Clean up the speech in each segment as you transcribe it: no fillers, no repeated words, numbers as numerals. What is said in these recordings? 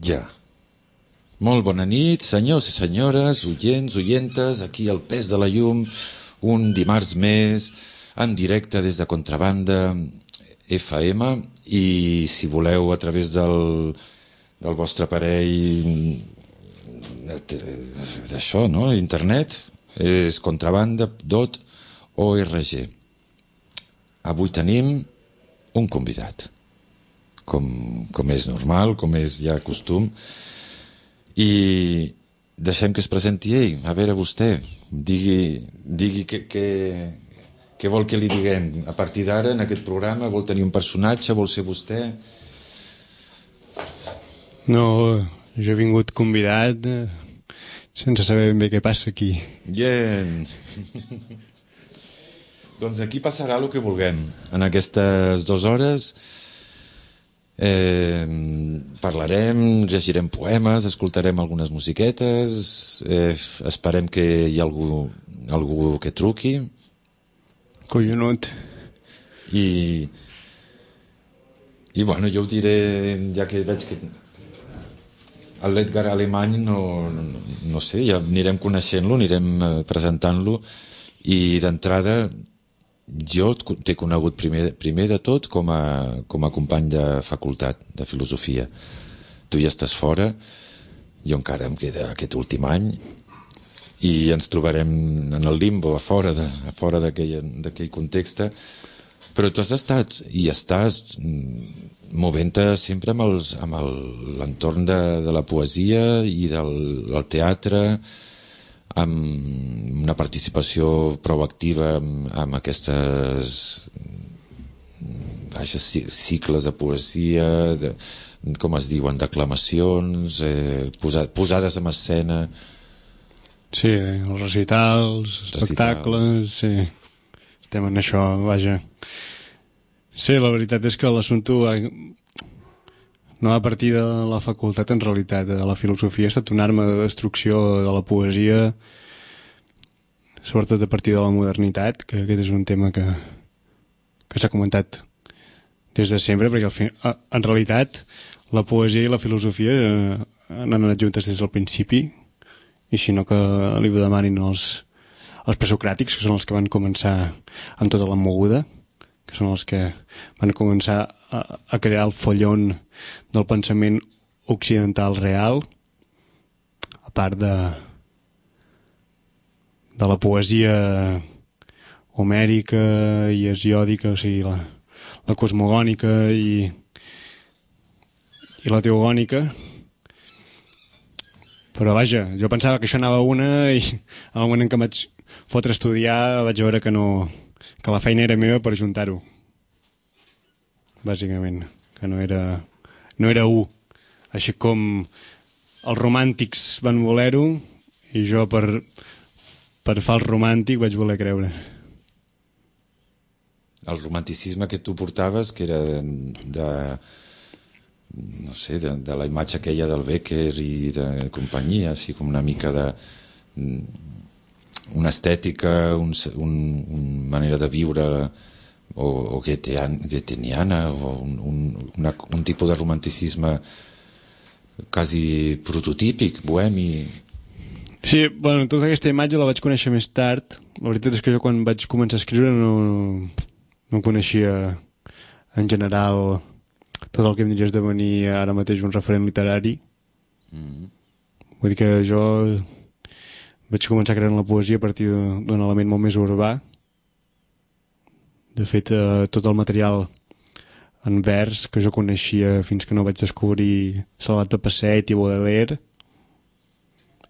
Ja. Molt bona nit, senyors i senyores, oients, oientes, aquí al Pes de la Llum, un dimarts més, en directe des de Contrabanda FM, i si voleu a través del vostre aparell d'això, no? Internet, és contrabanda.org. Avui tenim un convidat, com és normal, com és ja costum, i deixem que es presenti ell. A veure, vostè, digui què vol que li diguem. A partir d'ara, en aquest programa, vol tenir un personatge, vol ser vostè? No, jo he vingut convidat sense saber ben bé què passa aquí. Bien. Doncs aquí passarà el que vulguem. En aquestes 2 hores parlarem, llegirem poemes, escoltarem algunes musiquetes, esperem que hi ha algú que truqui. Collonut. I bueno, jo ho diré, ja que veig que l'Edgar Alemany no sé, ja anirem coneixent-lo, anirem presentant-lo, i d'entrada jo t'he conegut primer de tot com a company de facultat de filosofia. Tu ja estàs fora, jo encara em queda aquest últim any, i ens trobarem en el limbo, a fora d'aquell context, però tu has estat i estàs movent-te sempre amb l'entorn de la poesia i del teatre, amb una participació prou activa amb aquestes cicles de poesia, com es diuen, declamacions, posades en escena. Sí, els recitals, espectacles, sí. Estem en això, vaja. Sí, la veritat és que l'assumpte no a partir de la facultat, en realitat. La filosofia ha estat una arma de destrucció de la poesia, sobretot a partir de la modernitat, que aquest és un tema que s'ha comentat des de sempre, perquè en realitat la poesia i la filosofia han anat juntes des del principi, i si no que li ho demanin els presocràtics, que són els que van començar amb tota la moguda, que són els que van començar a crear el follon del pensament occidental real, a part de la poesia homèrica i hesiòdica, o sigui, la cosmogònica i la teogònica. Però vaja, jo pensava que això anava a una, i al moment en què em vaig fotre a estudiar vaig veure que la feina era meva per ajuntar-ho, bàsicament, que no era u, així com els romàntics van voler-ho i jo per fals romàntic vaig voler creure. El romanticisme que tu portaves, que era no sé, de la imatge aquella del Becker i de companyia, així com una mica una estètica, una manera de viure o goetheniana, o un tipus de romanticisme quasi prototípic, bohemi. Sí, bueno, tota aquesta imatge la vaig conèixer més tard. La veritat és que jo quan vaig començar a escriure no coneixia en general tot el que em diries devenir ara mateix un referent literari. Vull dir que jo vaig començar creant la poesia a partir d'un element molt més urbà. De fet, tot el material en vers que jo coneixia fins que no vaig descobrir Salvat Papasseit i Baudelaire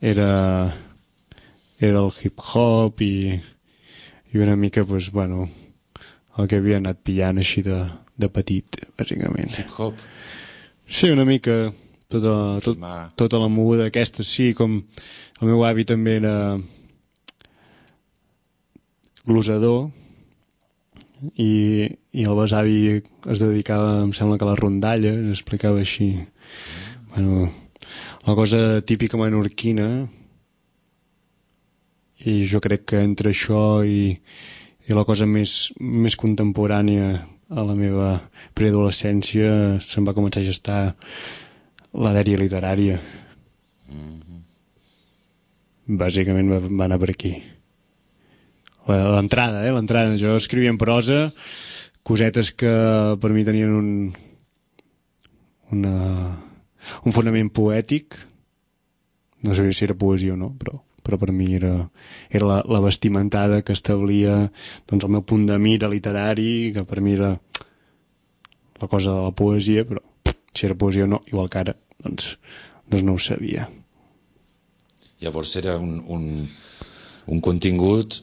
era el hip-hop i una mica, doncs, bueno, el que havia anat pillant així de petit, bàsicament. Hip-hop? Sí, una mica tota la moguda aquesta, sí, com el meu avi també era glosador i el besavi es dedicava, em sembla que a la rondalla, explicava així, bueno, la cosa típica menorquina, i jo crec que entre això i i la cosa més contemporània a la meva preadolescència se'm va començar a gestar la dèria literària. Bàsicament va anar per aquí. L'entrada. Jo escrivia en prosa cosetes que per mi tenien un fonament poètic. No sabia si era poesia o no, però per mi era la vestimentada que establia doncs, el meu punt de mira literari, que per mi era la cosa de la poesia, però si era poesia o no, igual que ara, doncs no ho sabia. Llavors era un contingut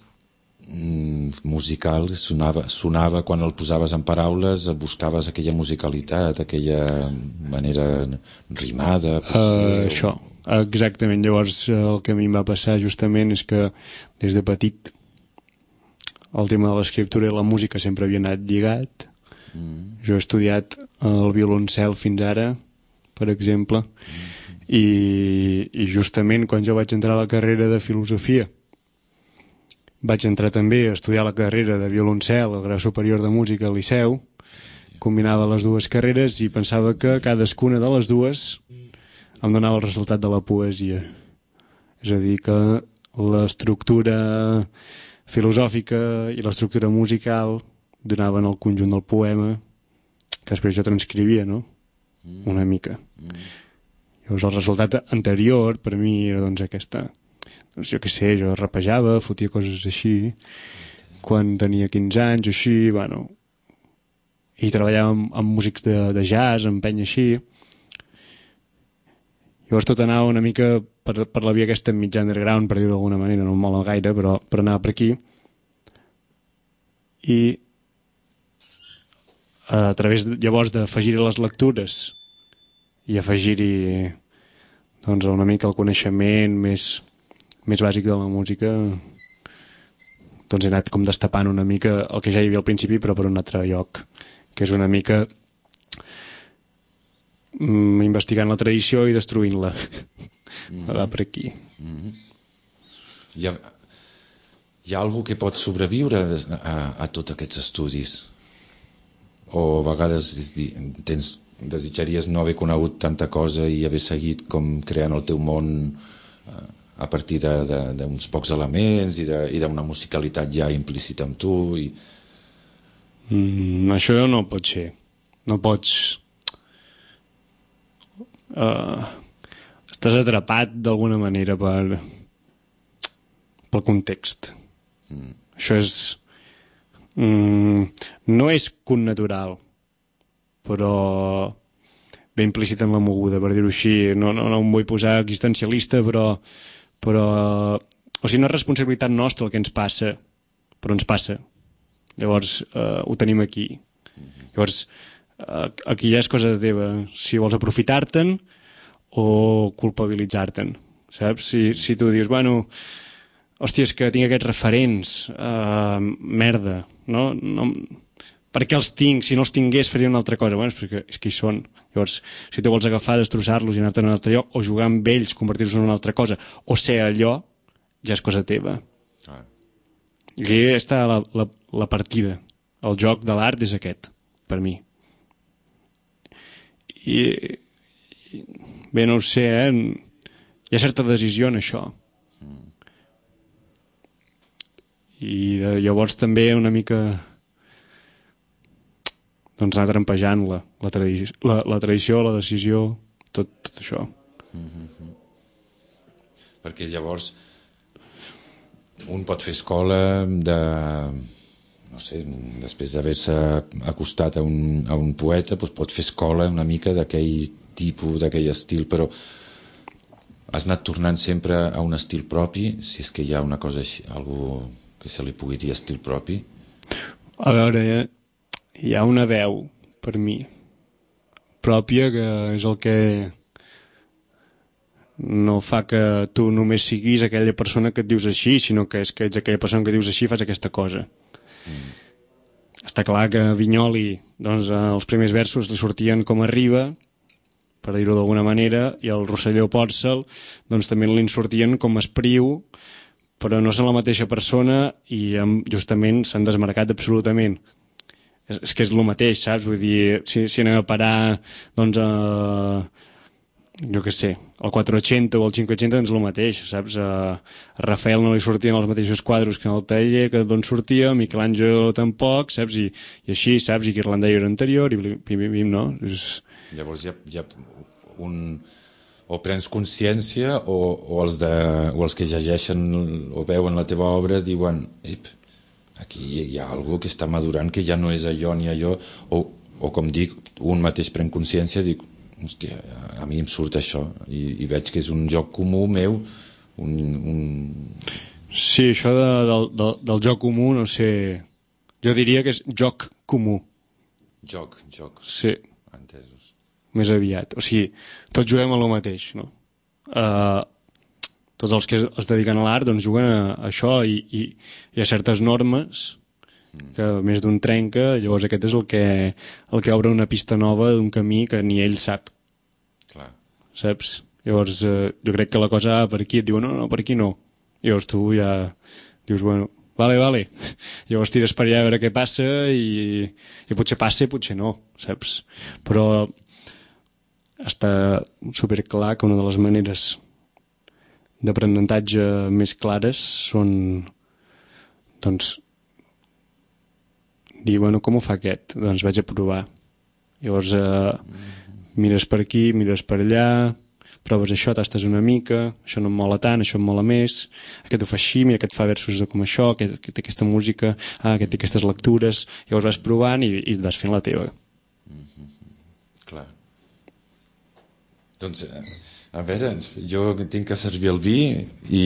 musical, sonava quan el posaves en paraules, buscaves aquella musicalitat, aquella manera rimada, potser... Això, exactament. Llavors el que a mi em va passar justament és que des de petit el tema de l'escriptura i la música sempre havia anat lligat. Jo he estudiat el violoncel fins ara, per exemple, i justament quan jo vaig entrar a la carrera de filosofia vaig entrar també a estudiar la carrera de violoncel al grau superior de música al Liceu, combinava les dues carreres i pensava que cadascuna de les dues em donava el resultat de la poesia. És a dir, que l'estructura filosòfica i l'estructura musical donaven el conjunt del poema que després jo transcrivia, no? Una mica. Llavors el resultat anterior per mi era doncs aquesta, doncs jo què sé, jo rapejava, fotia coses així quan tenia 15 anys o així, bueno, i treballava amb músics de jazz, amb penya així. Llavors tot anava una mica per la via aquesta mitjà underground, per dir-ho d'alguna manera, no em mola gaire, però anava per aquí. I a través llavors d'afegir-hi les lectures i afegir-hi doncs una mica el coneixement més bàsic de la música, doncs he anat com destapant una mica el que ja hi havia al principi però per un altre lloc, que és una mica investigant la tradició i destruint-la. Va per aquí. Hi ha algú que pot sobreviure a tots aquests estudis? O a vegades desitjaries no haver conegut tanta cosa i haver seguit com creant el teu món a partir d'uns pocs elements i d'una musicalitat ja implícita en tu? Això no pot ser. No pots... estàs atrapat d'alguna manera pel context. Això és... no és connatural, però ben implícit en la moguda, per dir-ho així. No em vull posar existencialista, però o sigui, no és responsabilitat nostra el que ens passa, però ens passa. Llavors ho tenim aquí. Llavors aquí ja és cosa teva si vols aprofitar-te'n o culpabilitzar-te'n, saps? Si tu dius, bueno, hòstia, és que tinc aquests referents, merda, no? Per què els tinc? Si no els tingués faria una altra cosa. Bueno, és que hi són. Llavors, si tu vols agafar, destrossar-los i anar-te'n a un altre lloc, o jugar amb ells, convertir-los en una altra cosa, o ser allò, ja és cosa teva. I aquí està la partida. El joc de l'art és aquest, per mi. I bé, no ho sé, hi ha certa decisió en això. I llavors també una mica doncs anar trampejant la tradició, la decisió, tot això. Perquè llavors un pot fer escola no sé, després d'haver-se acostat a un poeta, doncs pot fer escola una mica d'aquell tipus, d'aquell estil, però has anat tornant sempre a un estil propi, si és que hi ha una cosa així, algú que se li pugui dir estil propi? A veure, hi ha una veu, per mi, pròpia, que és el que no fa que tu només siguis aquella persona que et dius així, sinó que és que ets aquella persona que dius així i fas aquesta cosa. Està clar que a Vinyoli, doncs, els primers versos li sortien com a riba, per dir-ho d'alguna manera, i el Rosselló Pòrcel doncs, també li sortien com a espriu, però no són la mateixa persona i justament s'han desmarcat absolutament. És que és el mateix, saps? Vull dir, si anem a parar, doncs, jo què sé, el 480 o el 580 doncs el mateix, saps? A Rafael no li sortien els mateixos quadros que en el taller, que d'on sortia, Michelangelo tampoc, saps? I així, saps? I Ghirlandaio era anterior, i bim, no? Llavors hi ha o prens consciència o els que llegeixen o veuen la teva obra diuen aquí hi ha algo que està madurant, que ja no és allò ni allò, o com dic, un mateix pren consciència, dic, hòstia, a mi em surt això i veig que és un joc comú meu, Sí, això del joc comú, no sé, jo diria que és joc comú. Joc. Sí. Entesos. Més aviat, o sigui, tots juguem a lo mateix, no? Tots els que es dediquen a l'art doncs juguen a això i hi ha certes normes que més d'un trenca, llavors aquest és el que obre una pista nova d'un camí que ni ell sap. Clar. Saps? Llavors jo crec que la cosa va per aquí, et diuen no, per aquí no. Llavors tu ja dius, bueno, vale. Llavors tires per allà a veure què passa i potser passa i potser no, saps? Però està superclar que una de les maneres d'aprenentatge més clares són, doncs, dir, bueno, com ho fa aquest? Doncs vaig a provar. Llavors mires per aquí, mires per allà, proves això, tastes una mica, això no em mola tant, això em mola més, aquest ho fa així, mira, aquest fa versos de com això, aquest té aquesta música, aquest té aquestes lectures, llavors vas provant i et vas fent la teva. Clar. Doncs, a veure, jo tinc que servir el vi i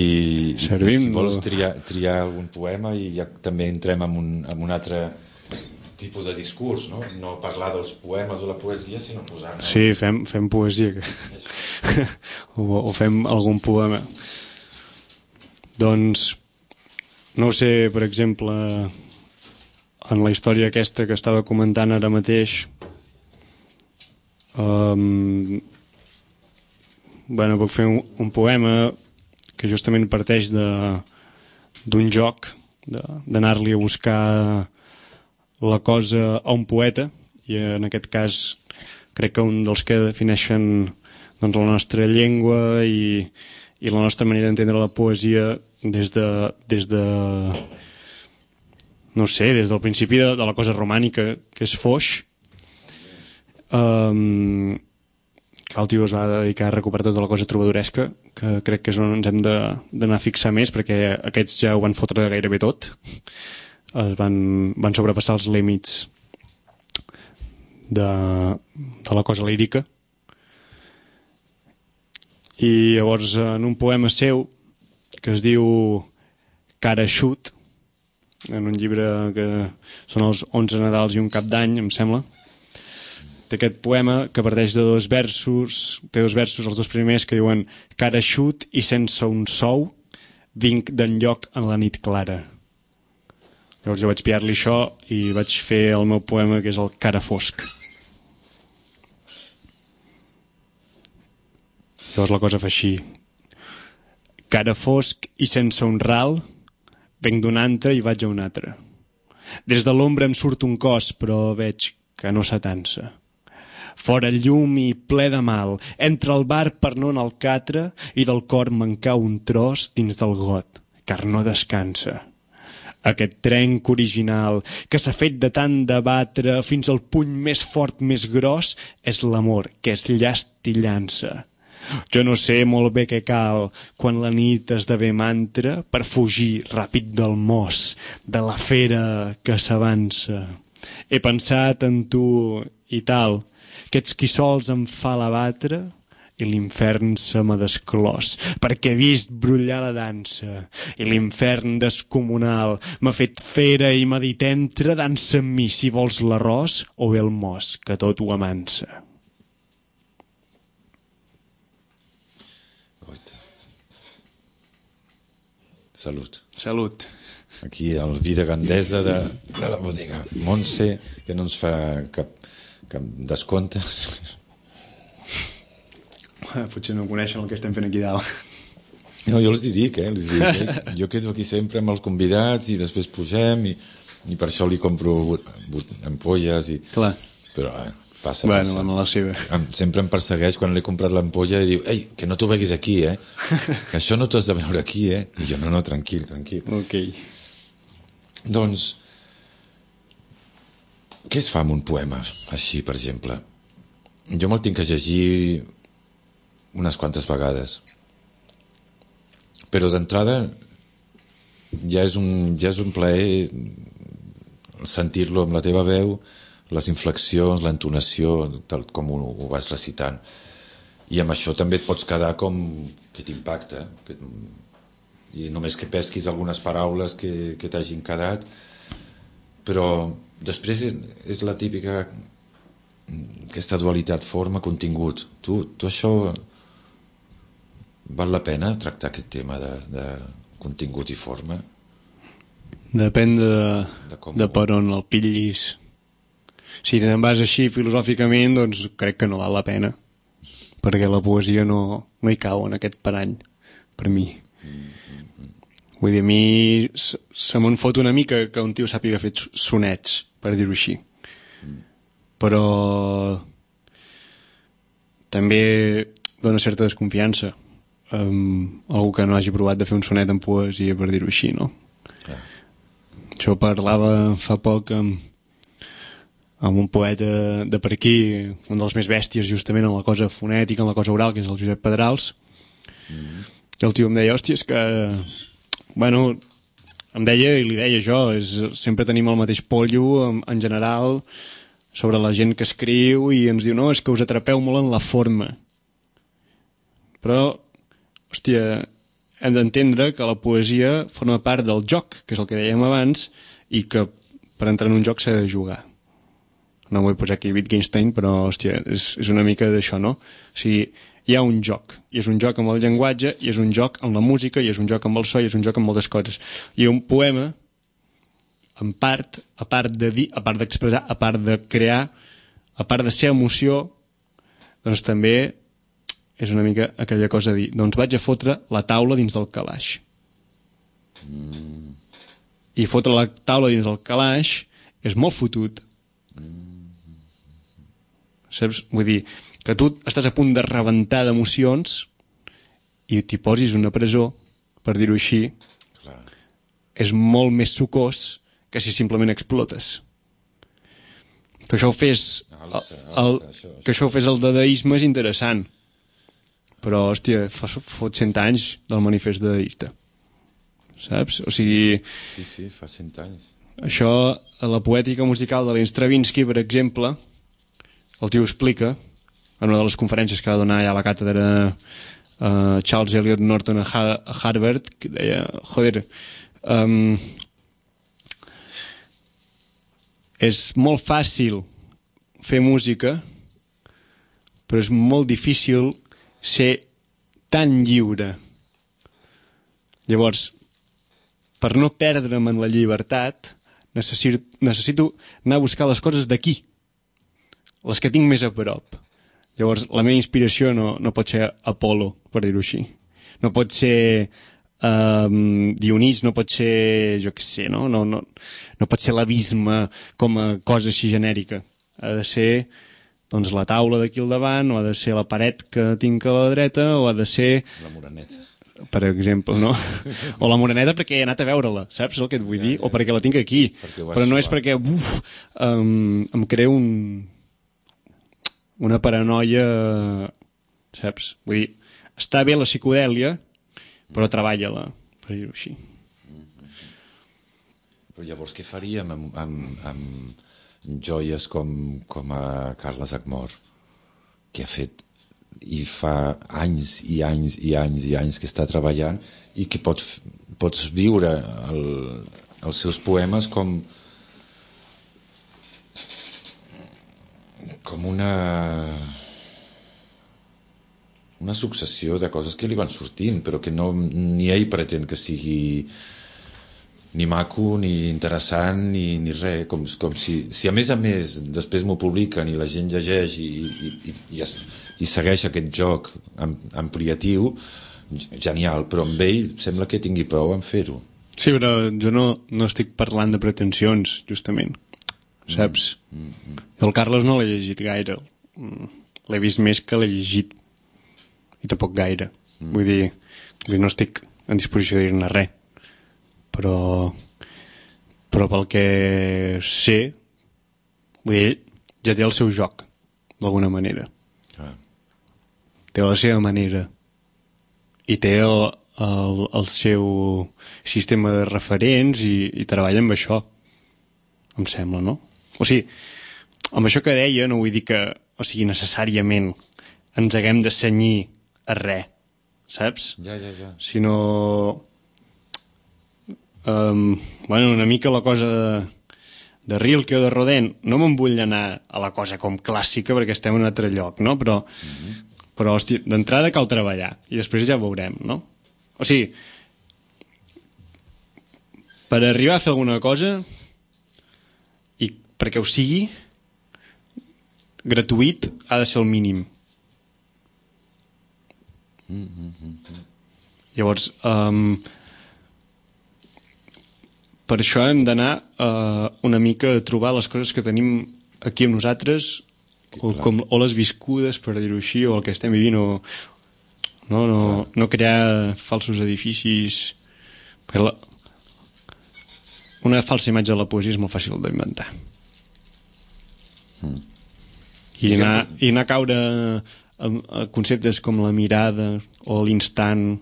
si vols triar algun poema i ja també entrem en un altre tipus de discurs, no? No parlar dels poemes o la poesia, sinó posar-ne... Sí, fem poesia. o fem algun poema. Doncs, no ho sé, per exemple, en la història aquesta que estava comentant ara mateix, bueno, puc fer un poema que justament parteix d'un joc, d'anar-li a buscar la cosa a un poeta, i en aquest cas crec que un dels que defineixen doncs, la nostra llengua i la nostra manera d'entendre la poesia des de no sé, des del principi de la cosa romànica, que és Foix, que el tio es va dedicar a recuperar tota la cosa trobadoresca, que crec que és on ens hem d'anar a fixar més, perquè aquests ja ho van fotre gairebé tot, van sobrepassar els límits de la cosa lírica. I llavors en un poema seu que es diu Careixut, en un llibre que són els 11 Nadals i un Cap d'Any, em sembla, té aquest poema que parteix de dos versos, té dos versos, els dos primers, que diuen: careixut i sense un sou vinc d'enlloc en la nit clara. Llavors jo vaig pillar-li això i vaig fer el meu poema, que és el Cara fosc. Llavors la cosa fa així: cara fosc i sense un ral, venc d'un ante i vaig a un altre. Des de l'ombra em surt un cos, però veig que no s'atansa. Fora llum i ple de mal, entre el bar per no anar al catre i del cor me'n cau un tros dins del got, car no descansa. Aquest trenc original que s'ha fet de tant debatre fins al puny més fort, més gros, és l'amor que és llast i llança. Jo no sé molt bé què cal quan la nit esdevé mantra per fugir ràpid del mos, de la fera que s'avança. He pensat en tu i tal, que ets qui sols em fa l'abatre i l'infern se m'ha desclòs, perquè he vist brollar la dansa i l'infern descomunal m'ha fet fera i m'ha dit: entra, dansa amb mi si vols l'arròs o bé el mos, que tot ho amansa. Salut. Salut. Aquí el vi de Gandesa de la bodega Montse, que no ens fa cap descompte. Potser no coneixen el que estem fent aquí dalt. No, jo els hi dic, jo quedo aquí sempre amb els convidats i després pugem i per això li compro ampolles Clar. Però passa. Bueno, la seva. Sempre em persegueix quan l'he comprat l'ampolla i diu, ei, que no t'ho beguis aquí, que això no t'ho has de veure aquí, i jo, no, tranquil. Ok. Doncs què es fa amb un poema així, per exemple? Jo me'l tinc que llegir unes quantes vegades, però d'entrada ja és un plaer sentir-lo amb la teva veu, les inflexions, l'entonació, tal com ho vas recitant, i amb això també et pots quedar com que t'impacta, i només que pesquis algunes paraules que t'hagin quedat, però després és la típica aquesta dualitat forma-contingut. Tu això val la pena tractar aquest tema de contingut i forma? Depèn de per on el pillis. Si te'n vas així filosòficament, doncs crec que no val la pena, perquè la poesia no hi cau en aquest parany, per mi. Vull dir, a mi se me'n fot una mica que un tio sàpiga fer sonets, per dir-ho així. Però també dona certa desconfiança algú que no hagi provat de fer un sonet en poesia, per dir-ho així, no? Jo parlava fa poc amb un poeta de per aquí, un dels més bèsties justament en la cosa fonètica, en la cosa oral, que és el Josep Pedrals, i el tio em deia, hòstia, és que bueno, em deia i li deia jo, sempre tenim el mateix pollo en general sobre la gent que escriu, i ens diu, no, és que us atrapeu molt en la forma. Però, hòstia, hem d'entendre que la poesia forma part del joc, que és el que dèiem abans, i que per entrar en un joc s'ha de jugar. No vull posar aquí Wittgenstein, però, hòstia, és una mica d'això, no? O sigui, hi ha un joc, i és un joc amb el llenguatge, i és un joc amb la música, i és un joc amb el so, i és un joc amb moltes coses. I un poema, en part, a part de dir, a part d'expressar, a part de crear, a part de ser emoció, doncs també és una mica aquella cosa de dir, doncs vaig a fotre la taula dins del calaix. I fotre la taula dins del calaix és molt fotut. Saps? Vull dir, que tu estàs a punt de rebentar d'emocions i t'hi posis una presó, per dir-ho així, clar, és molt més sucós que si simplement explotes. Que això ho fes que això ho fes el dadaisme és interessant, però, hòstia, fot 100 anys del manifest dadaista, saps? O sigui... Sí, fa 100 anys. Això, a la poètica musical de l'Stravinsky, per exemple, el tio explica en una de les conferències que va donar allà a la càtedra Charles Eliot Norton a Harvard, que deia, joder, és molt fàcil fer música, però és molt difícil ser tan lliure. Llavors, per no perdre'm en la llibertat, necessito anar a buscar les coses d'aquí, les que tinc més a prop. Llavors, la meva inspiració no pot ser Apolo, per dir-ho així. No pot ser Dionís, no pot ser, jo què sé, no pot ser l'abisme com a cosa així genèrica. Ha de ser, doncs, la taula d'aquí al davant, o ha de ser la paret que tinc a la dreta, o ha de ser... La Moreneta. Per exemple, no? O la Moreneta perquè he anat a veure-la, saps el que et vull dir? O perquè la tinc aquí. Però no és perquè em creo una paranoia, saps? Vull dir, està bé la psicodèlia, però treballa-la, per dir-ho així. Però llavors què faríem amb joies com a Carles Acmor, que ha fet i fa anys i anys i anys i anys que està treballant i que pots viure els seus poemes com una successió de coses que li van sortint, però que ni ell pretén que sigui ni maco, ni interessant, ni res, com si a més després m'ho publiquen i la gent llegeix i segueix aquest joc ampliatiu, genial, però amb ell sembla que tingui prou en fer-ho. Sí, però jo no estic parlant de pretensions, justament, saps? El Carlos no l'he llegit gaire, l'he vist més que l'he llegit, i tampoc gaire. Vull dir, no estic en disposició de dir-ne res, però pel que sé, vull dir, ja té el seu joc, d'alguna manera. Té la seva manera i té el seu sistema de referents i treballa amb això, em sembla, no? O sigui, amb això que deia no vull dir que, o sigui, necessàriament ens haguem de cenyir a res, saps? Ja. Sinó bueno, una mica la cosa de Rilke o de Rodin, no me'n vull anar a la cosa com clàssica perquè estem en un altre lloc, no? Però hòstia, d'entrada cal treballar i després ja veurem, no? O sigui, per arribar a fer alguna cosa i perquè ho sigui gratuït ha de ser el mínim. Llavors per això hem d'anar una mica a trobar les coses que tenim aquí amb nosaltres o les viscudes, per dir-ho així, o el que estem vivint, o no crear falsos edificis. Una falsa imatge de la poesia és molt fàcil d'inventar. I anar a caure a conceptes com la mirada o l'instant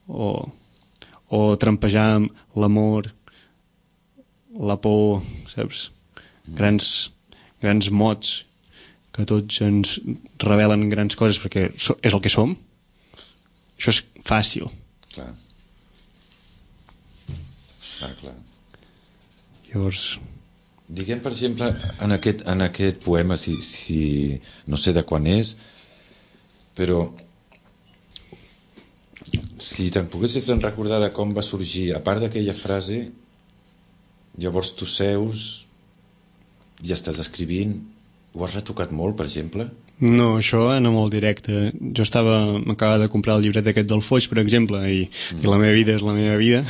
o trampejar amb l'amor, la por, saps? Grans mots que tots ens revelen grans coses perquè és el que som. Això és fàcil. Clar. Llavors... Diguem, per exemple, en aquest poema, si no sé de quan és, però si te'n poguessis recordar de com va sorgir, a part d'aquella frase, llavors tu seus, ja estàs escrivint, ho has retocat molt, per exemple? No, això anava molt directe. Jo m'acabava de comprar el llibret aquest del Foix, per exemple, i la meva vida és la meva vida,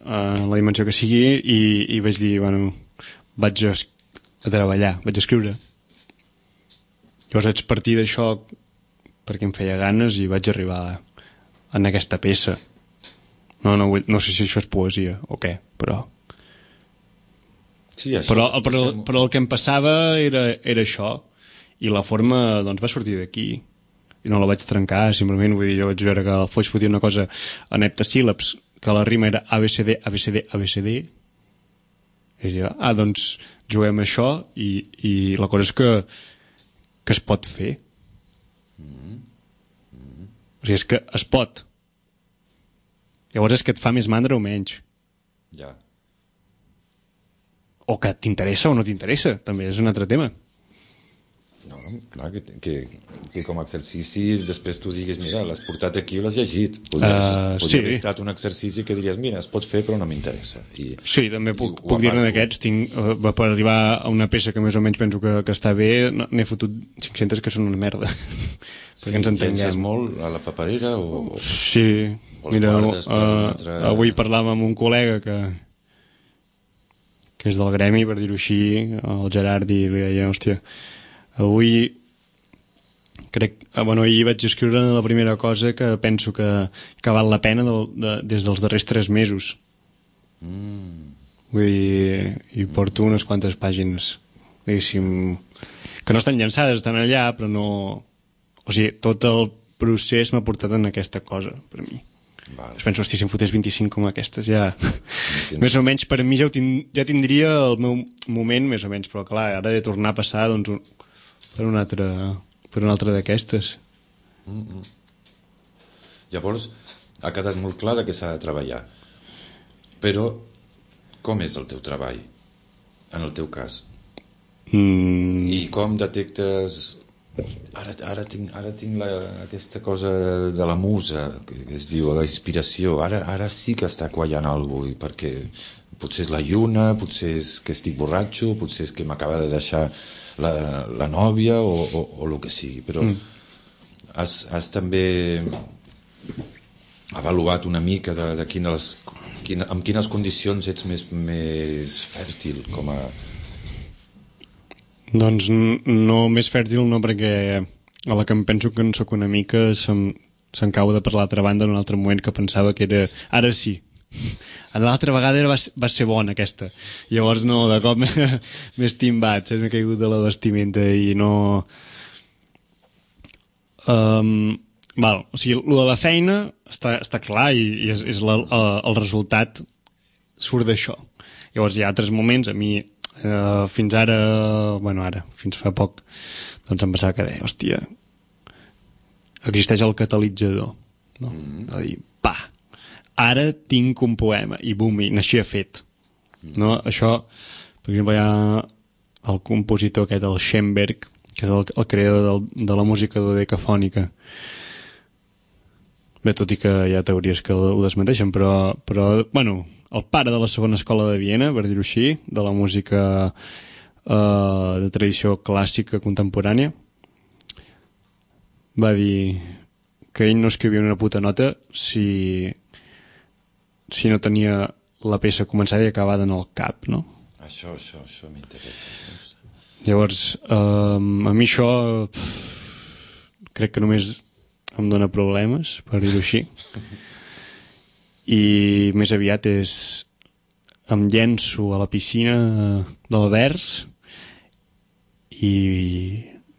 la dimensió que sigui, i vaig dir, bueno, vaig a treballar, vaig a escriure. Llavors vaig partir d'això perquè em feia ganes i vaig arribar en aquesta peça. No sé si això és poesia o què, però... Sí, però el que em passava era això, i la forma doncs va sortir d'aquí i no la vaig trencar, simplement vull dir, jo vaig veure que el Foix fotia una cosa en heptasíl·labs, que la rima era ABCD, ABCD, ABCD, i jo, doncs juguem això i la cosa és que es pot fer. O sigui, és que es pot. Llavors és que et fa més mandra o menys. Ja. O que t'interessa o no t'interessa, també és un altre tema. No, clar, que com a exercici després tu diguis, mira, l'has portat aquí i l'has llegit. Podria haver estat un exercici que diries, mira, es pot fer però no m'interessa. Sí, també puc dir-ne d'aquests. Per arribar a una peça que més o menys penso que està bé, n'he fotut 500 que són una merda. Sí, llences molt a la paperera o... Sí, mira, avui parlàvem amb un col·lega que és del gremi, per dir-ho així, el Gerard, i li deia, hòstia, avui ahir vaig escriure la primera cosa que penso que val la pena des dels darrers 3 mesos. Vull dir, i porto unes quantes pàgines, diguéssim, que no estan llançades, estan allà, però no... O sigui, tot el procés m'ha portat en aquesta cosa, per mi. Vale. Penso, hosti, si em fotés 25 com aquestes, ja... més o menys, per mi ja tindria el meu moment, més o menys, però clar, ara he de tornar a passar doncs, per una altra d'aquestes. Llavors, ha quedat molt clar que s'ha de treballar. Però, com és el teu treball, en el teu cas? I com detectes... Ara tinc aquesta cosa de la musa, que es diu la inspiració. Ara sí que està quallant alguna cosa, perquè potser és la lluna, potser és que estic borratxo, potser és que m'acaba de deixar la nòvia o el que sigui, però has també avaluat una mica de amb quines condicions ets més fèrtil com a... Doncs no més fèrtil no, perquè a la que em penso que en soc una mica se'n cau de per l'altra banda en un altre moment que pensava que era... Ara sí. A l'altra vegada va ser bona aquesta. Llavors no, de cop m'he estimbat, m'he caigut de la vestimenta i no... o sigui, el de la feina està clar i és el resultat surt d'això. Llavors hi ha altres moments, a mi fins ara, fins fa poc, doncs em passava que deia, hòstia, existeix el catalitzador, no? A dir, ara tinc un poema, i bum, i naixia fet. No? Això, per exemple, hi ha el compositor aquest, el Schoenberg, que és el creador de la música dodecafònica. Bé, tot i que hi ha teories que ho desmenteixen, però bueno, el pare de la segona escola de Viena, per dir-ho així, de la música de tradició clàssica contemporània, va dir que ell no escrivia una puta nota si no tenia la peça començada i acabada en el cap, no? Això m'interessa. Llavors, a mi això crec que només em dona problemes, per dir-ho així. I més aviat em llenço a la piscina del vers i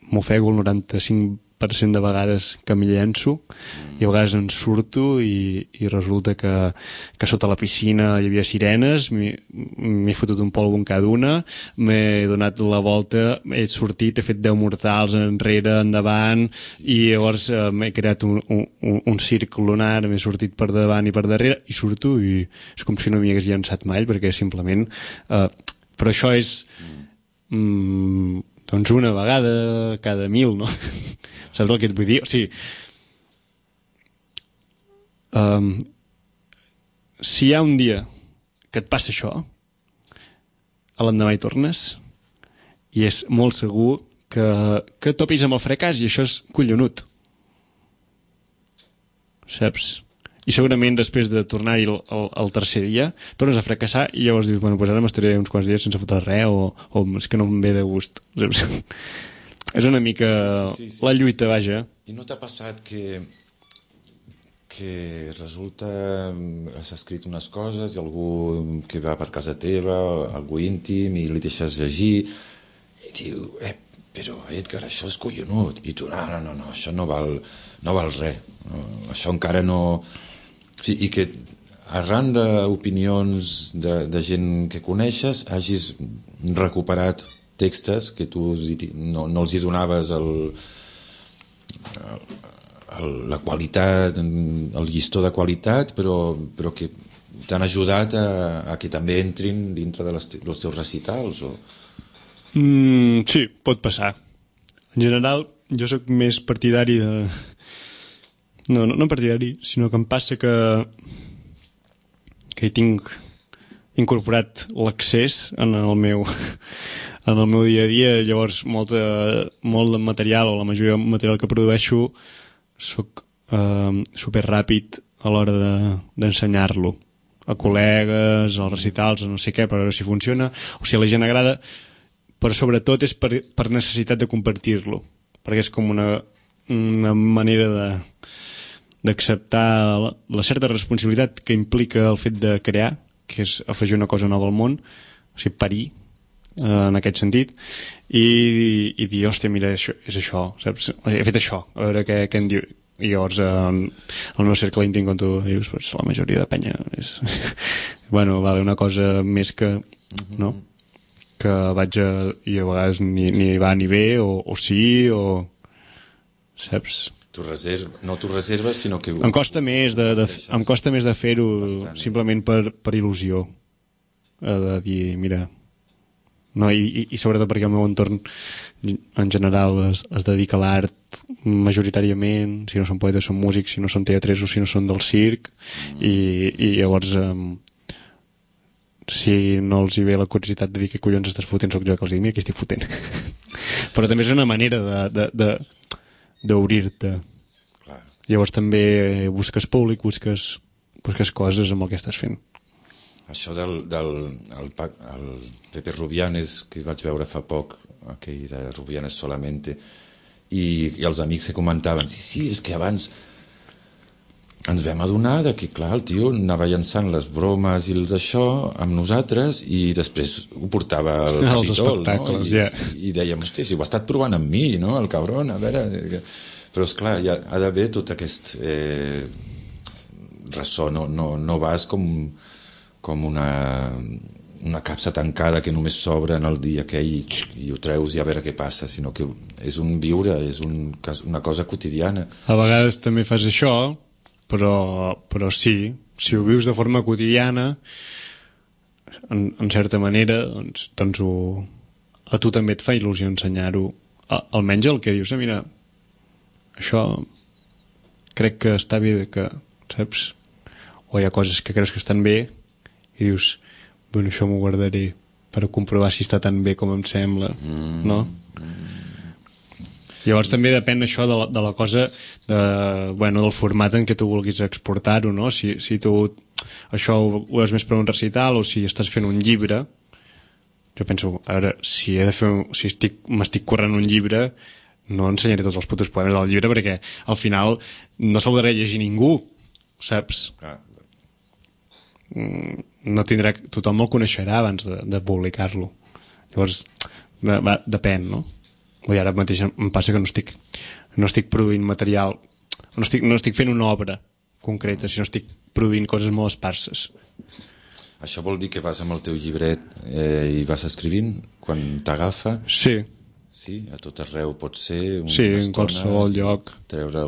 m'ofego el 95% de vegades que m'hi llenço, i a vegades en surto i resulta que sota la piscina hi havia sirenes, m'he fotut un polvo en cada una, m'he donat la volta, he sortit, he fet 10 mortals enrere, endavant, i llavors m'he creat un circ lunar, m'he sortit per davant i per darrere, i surto i és com si no m'hi hagués llançat mai, perquè simplement... però això és... doncs una vegada cada 1000, no? Saps el que et vull dir? O sigui, si hi ha un dia que et passa això, a l'endemà hi tornes, i és molt segur que topis amb el fracàs, i això és collonut. Saps? I segurament després de tornar-hi el tercer dia tornes a fracassar i llavors dius, bueno, pues ara m'estaré uns quants dies sense fotre res o és que no em ve de gust. Saps? És una mica sí. La lluita, vaja. I no t'ha passat que resulta has escrit unes coses i algú que va per casa teva, algú íntim, i li deixes llegir i diu, però Edgar, això és collonut, i tu, no, això no val res, no, això encara no... Sí, i que arran d'opinions de gent que coneixes hagis recuperat textos que tu no els hi donaves la qualitat, el llistó de qualitat, però que t'han ajudat a que també entrin dintre dels teus recitals o... Sí, pot passar. En general, jo sóc més partidari de... No partidari, sinó que em passa que hi tinc incorporat l'accés en el meu dia a dia. Llavors molt de material, o la majoria del material que produeixo, soc super ràpid a l'hora d'ensenyar-lo a col·legues, als recitals, a no sé què, per veure si funciona o si a la gent agrada, però sobretot és per necessitat de compartir-lo, perquè és com una manera d'acceptar la certa responsabilitat que implica el fet de crear, que és afegir una cosa nova al món, o sigui, parir en aquest sentit, i dir, hòstia, mira, és això, saps? He fet això, a veure què em diu. I llavors el meu cercle íntim, com tu dius, pues, la majoria de penya és bueno, vale, una cosa més que no? Que vaig i a vegades ni va ni ve, o sí, o saps? No t'ho reserves, sinó que... Em costa més de fer-ho simplement per il·lusió, de dir, mira, no, i sobretot perquè el meu entorn en general es dedica a l'art majoritàriament, si no són poetes són músics, si no són teatresos, si no són del circ, i llavors si no els hi ve la curiositat de dir què collons estàs fotent, soc jo que els dic, mira, què estic fotent. Però també és una manera d'obrir-te. llavors també busques públic, busques coses amb el que estàs fent. Això del Pepe Rubianes, que vaig veure fa poc, aquell de Rubianes Solamente, i els amics que comentaven, sí, és que abans ens vam adonar que, clar, el tio anava llançant les bromes i els això amb nosaltres i després ho portava al Capitol, no? I dèiem, hòstia, si ho ha estat provant amb mi, no? El cabron, a veure... Però, esclar, ha d'haver tot aquest ressò, no vas com una capsa tancada que només s'obre en el dia aquell i ho treus i a veure què passa, sinó que és un viure, és una cosa quotidiana. A vegades també fas això, però sí, si ho vius de forma quotidiana, en certa manera, doncs a tu també et fa il·lusió ensenyar-ho, almenys el que dius, mira, això crec que està bé, que, saps? O hi ha coses que creus que estan bé i dius, bueno, això m'ho guardaré per comprovar si està tan bé com em sembla, no? Llavors també depèn això de la cosa del format en què tu vulguis exportar-ho, no? Si tu això ho és més per un recital o si estàs fent un llibre, jo penso, a veure, si m'estic currant un llibre, no ensenyaré tots els putos poemes del llibre perquè al final no se'l podrà llegir ningú, saps? No tindrà, tothom el coneixerà abans de publicar-lo. Llavors depèn, no? I ara mateix em passa que no estic produint material, no estic fent una obra concreta, sinó estic produint coses molt esparses. Això vol dir que vas amb el teu llibret i vas escrivint quan t'agafa? Sí. Sí, a tot arreu pot ser una sí, estona, en qualsevol lloc. Treure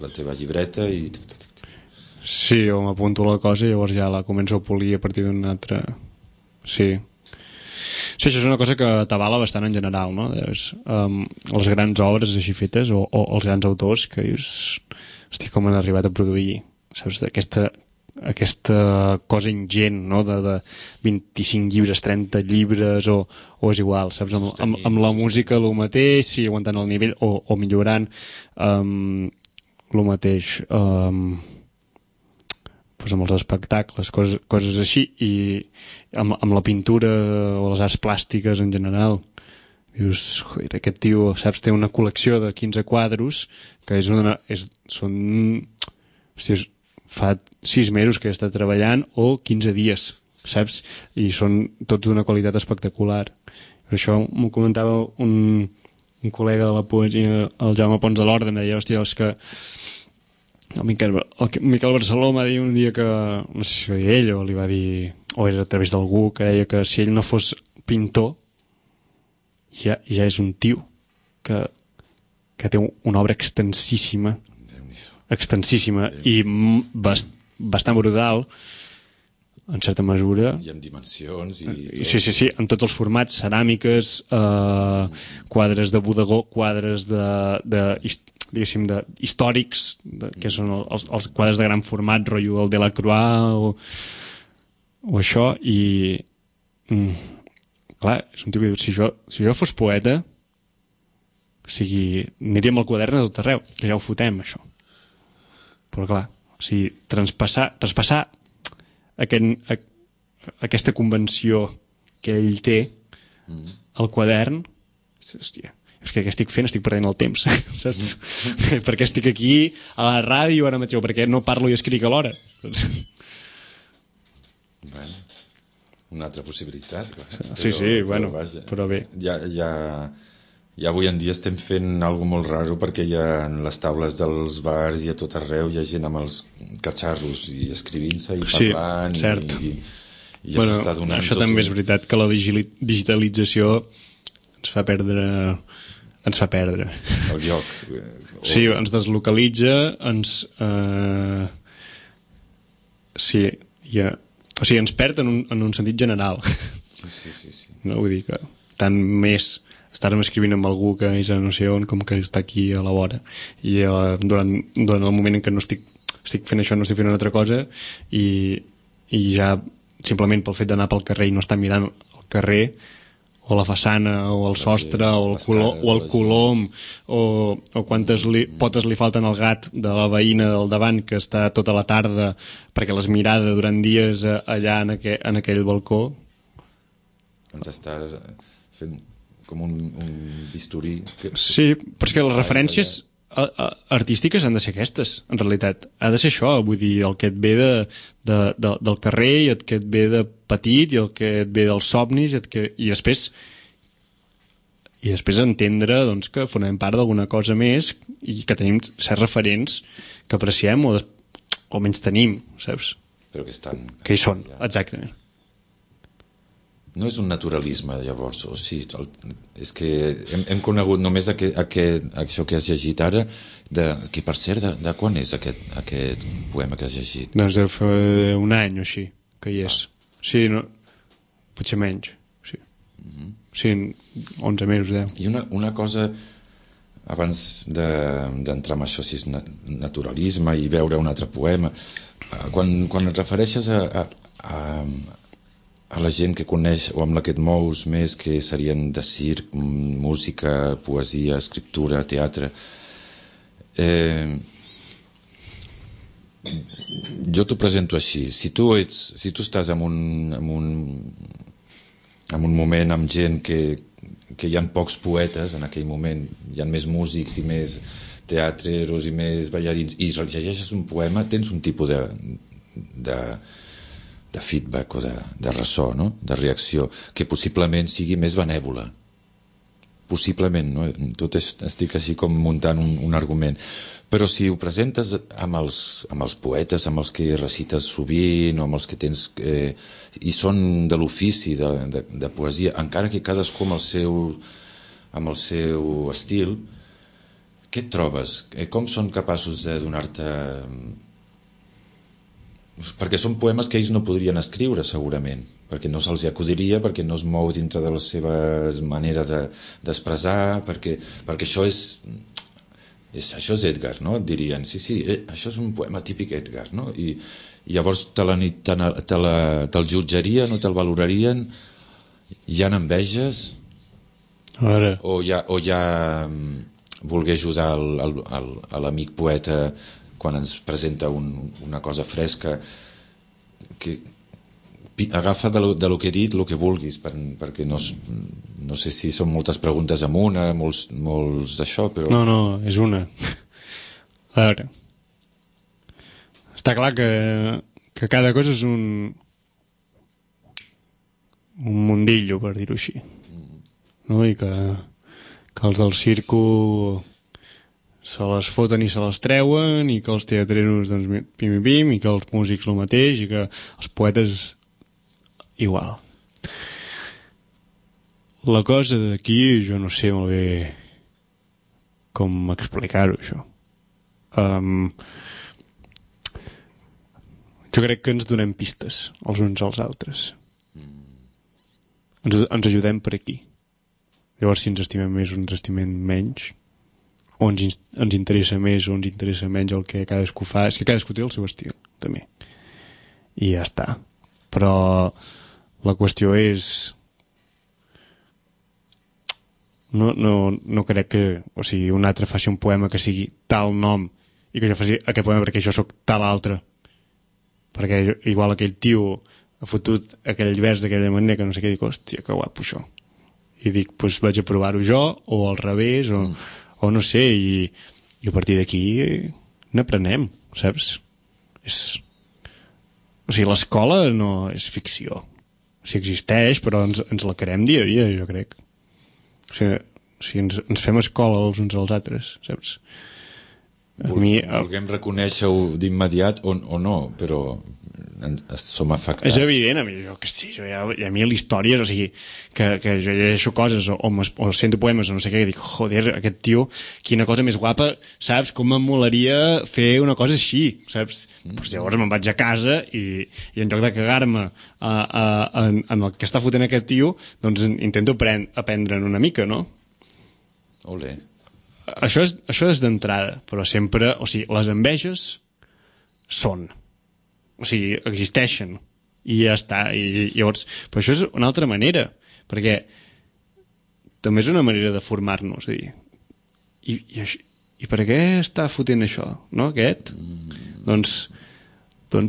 la teva llibreta i... Sí, o m'apunto la cosa i llavors ja la començo a polir a partir d'una altra... Sí, això és una cosa que t'avala bastant en general, no? Les grans obres així fetes o els grans autors que dius, hosti, com han arribat a produir, saps? Aquesta cosa ingent, no? De 25 llibres, 30 llibres o és igual, saps? Amb la música el mateix, sí, aguantant el nivell o millorant el mateix amb els espectacles, coses així, i amb la pintura o les arts plàstiques en general. Dius, joder, aquest tio, saps, té una col·lecció de 15 quadros que fa 6 mesos que està treballant o 15 dies, saps? I són tots d'una qualitat espectacular. Per això m'ho comentava un col·lega de la poesia, el Jaume Pons de l'Orde, em deia, hòstia, és que el Miquel Barceló m'ha dit un dia que, no sé si ho deia ell o li va dir, o era a través d'algú, que deia que si ell no fos pintor ja és un tio que té una obra extensíssima i bastant brutal en certa mesura i amb dimensions i sí, en tots els formats, ceràmiques, quadres de bodegó, quadres diguéssim, històrics, que són els quadres de gran format, rotllo el Delacroix o això, i clar, és un tio que diu, si jo fos poeta, o sigui, aniríem al quadern a tot arreu, que ja ho fotem, això. Però clar, o sigui, traspassar aquesta convenció que ell té al quadern, hòstia, és que què estic fent? Estic perdent el temps, saps? Perquè estic aquí a la ràdio ara mateix, perquè no parlo i escric alhora. Bueno, una altra possibilitat. Sí, però bé. Ja avui en dia estem fent alguna molt raro perquè ja en les taules dels bars i a tot arreu hi ha gent amb els catxarros i escrivint-se i parlant. Sí, cert. I ja s'està donant això també és veritat, que la digitalització ens fa perdre el lloc. Sí, ens deslocalitza, ens perd en un sentit general. Sí. No, vull dir que tant més estar-me escrivint amb algú que és a no sé on com que està aquí a la vora, i durant el moment en què no estic fent això, no estic fent una altra cosa, i ja simplement pel fet d'anar pel carrer i no estar mirant el carrer o la façana, o el sostre, o el colom, o quantes potes li falten al gat de la veïna del davant que està tota la tarda perquè les mirada durant dies allà en aquell balcó. Ens està fent com un bisturí. Sí, però és que les referències artístiques han de ser aquestes, en realitat. Ha de ser això, vull dir, el que et ve del carrer, i el que et ve de petit, i el que et ve dels somnis, i després entendre doncs, que formem part d'alguna cosa més i que tenim certs referents que apreciem o menys tenim, saps? Però que estan... Que hi són, exactament. No és un naturalisme, llavors, o sigui, és que hem conegut només això que has llegit ara, que per cert, de quan és aquest poema que has llegit? Doncs deu fer un any o així, que hi és. Sí, no, potser menys, sí. Sí, 11 mesos, 10. I una cosa, abans d'entrar en això, si és naturalisme i veure un altre poema, quan et refereixes a la gent que coneix o amb la que et mous més, que serien de circ, música, poesia, escriptura, teatre, jo t'ho presento així. Si tu estàs en un moment amb gent que hi ha pocs poetes en aquell moment, hi ha més músics i més teatreros i més ballarins, i llegeixes un poema, tens un tipus de feedback o de ressò, no? De reacció, que possiblement sigui més benèvola. Possiblement, no? Tot estic així com muntant un argument. Però si ho presentes amb els poetes, amb els que recites sovint, o amb els que tens... i són de l'ofici de poesia, encara que cadascú amb el seu estil, què et trobes? Com són capaços de donar-te... perquè són poemes que ells no podrien escriure segurament, perquè no se'ls acudiria, perquè no es mou dintre de la seva manera d'expressar, perquè això és Edgar, no? Et dirien, sí, això és un poema típic Edgar, no? I llavors te'l jutjarien o te'l valorarien, hi ha enveges o ja voler ajudar l'amic poeta quan ens presenta una cosa fresca, que agafa de lo que he dit el que vulguis, perquè no sé si són moltes preguntes en una, molts d'això, però... No, és una. A veure, està clar que cada cosa és un mundillo, per dir-ho així, no? I que els del circo se les foten i se les treuen, i que els teatreros doncs pim, i que els músics el mateix, i que els poetes igual. La cosa d'aquí jo no sé molt bé com explicar-ho, això. Jo crec que ens donem pistes els uns als altres. Ens ajudem per aquí. Llavors, si ens estimem més o ens estimem menys, o ens interessa més o ens interessa menys el que cadascú fa, és que cadascú té el seu estil també, i ja està. Però la qüestió és no crec que, o sigui, un altre faci un poema que sigui tal nom i que jo faci aquest poema perquè jo sóc tal altre, perquè igual aquell tio ha fotut aquell vers d'aquella manera que no sé què, dic, hòstia, que guapo això, i dic, doncs vaig a provar-ho jo, o al revés, o no sé, i a partir d'aquí n'aprenem, saps? O sigui, l'escola no és ficció, o sigui, existeix, però ens la creem dia a dia, jo crec. O sigui, ens fem escola els uns als altres, saps? Vulguem reconèixer-ho d'immediat o no, però som afectats. És evident, a mi, jo que sí, a mi l'història, o sigui, que jo llegeixo coses o sento poemes o no sé què, i dic, joder, aquest tio, quina cosa més guapa, saps? Com m'emolaria fer una cosa així, saps? Pues llavors me'n vaig a casa i en lloc de cagar-me en el que està fotent aquest tio, doncs intento aprendre'n una mica, no? Olé. Això és d'entrada, però sempre, o sigui, les enveges són, o sigui, existeixen i ja està, i llavors, però això és una altra manera, perquè també és una manera de formar-nos, dir, i per què està fotent això, no, aquest? Doncs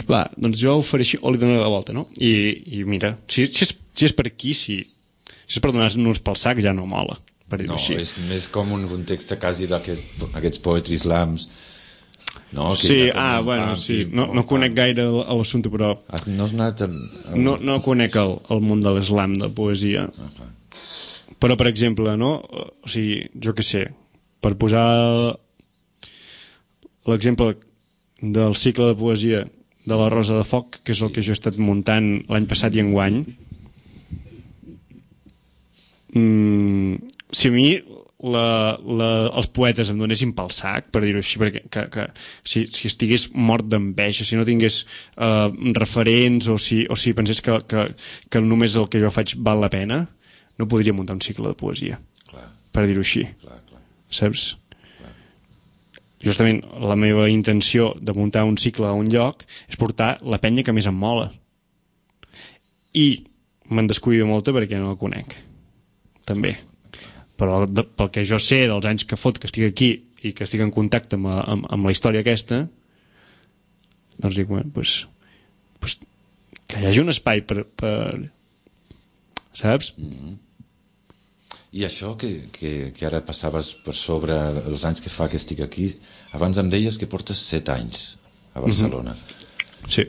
va, doncs jo ho faré així, o li dono la volta, no? I mira, si és per aquí, si és per donar-nos pel sac, ja no mola, per dir-ho així. No, és més com un context quasi d'aquests poetry slams, no? Sí, bueno, sí, no conec gaire l'assumpte, però no has anat no conec el món de l'eslam, de poesia. Però, per exemple, no? O sigui, jo què sé, per posar l'exemple del cicle de poesia de la Rosa de Foc, que és el que jo he estat muntant l'any passat i enguany, si a mi els poetes em donessin pel sac, per dir-ho així, perquè si estigués mort d'enveja, si no tingués referents, o si pensés que només el que jo faig val la pena, no podria muntar un cicle de poesia. Clar. Per dir-ho així. Clar. Saps? Clar. Justament la meva intenció de muntar un cicle a un lloc és portar la penya que més em mola. I me'n descuido molta perquè no la conec. També. Però pel que jo sé dels anys que fot que estic aquí i que estic en contacte amb la història aquesta, doncs dic, bueno, pues, que hi hagi un espai per saps? I això que ara passaves per sobre els anys que fa que estic aquí, abans em deies que portes 7 anys a Barcelona. Sí.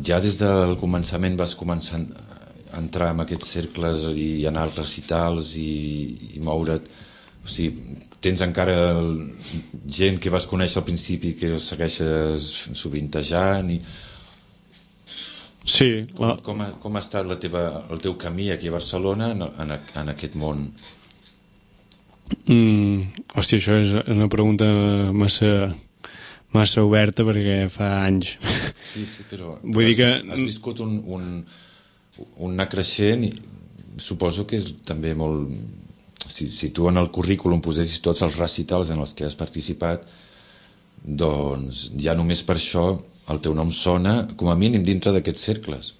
Ja des del començament vas començar a entrar en aquests cercles i anar als recitals i moure't, o sigui, tens encara gent que vas conèixer al principi que els segueixes sovintejant i... Sí. Com ha estat el teu camí aquí a Barcelona en aquest món? Hòstia, això és una pregunta massa oberta perquè fa anys. Sí, però vull dir que has viscut un anar creixent i suposo que és també molt... Si tu en el currículum posessis tots els recitals en els que has participat, doncs ja només per això el teu nom sona com a mínim dintre d'aquests cercles.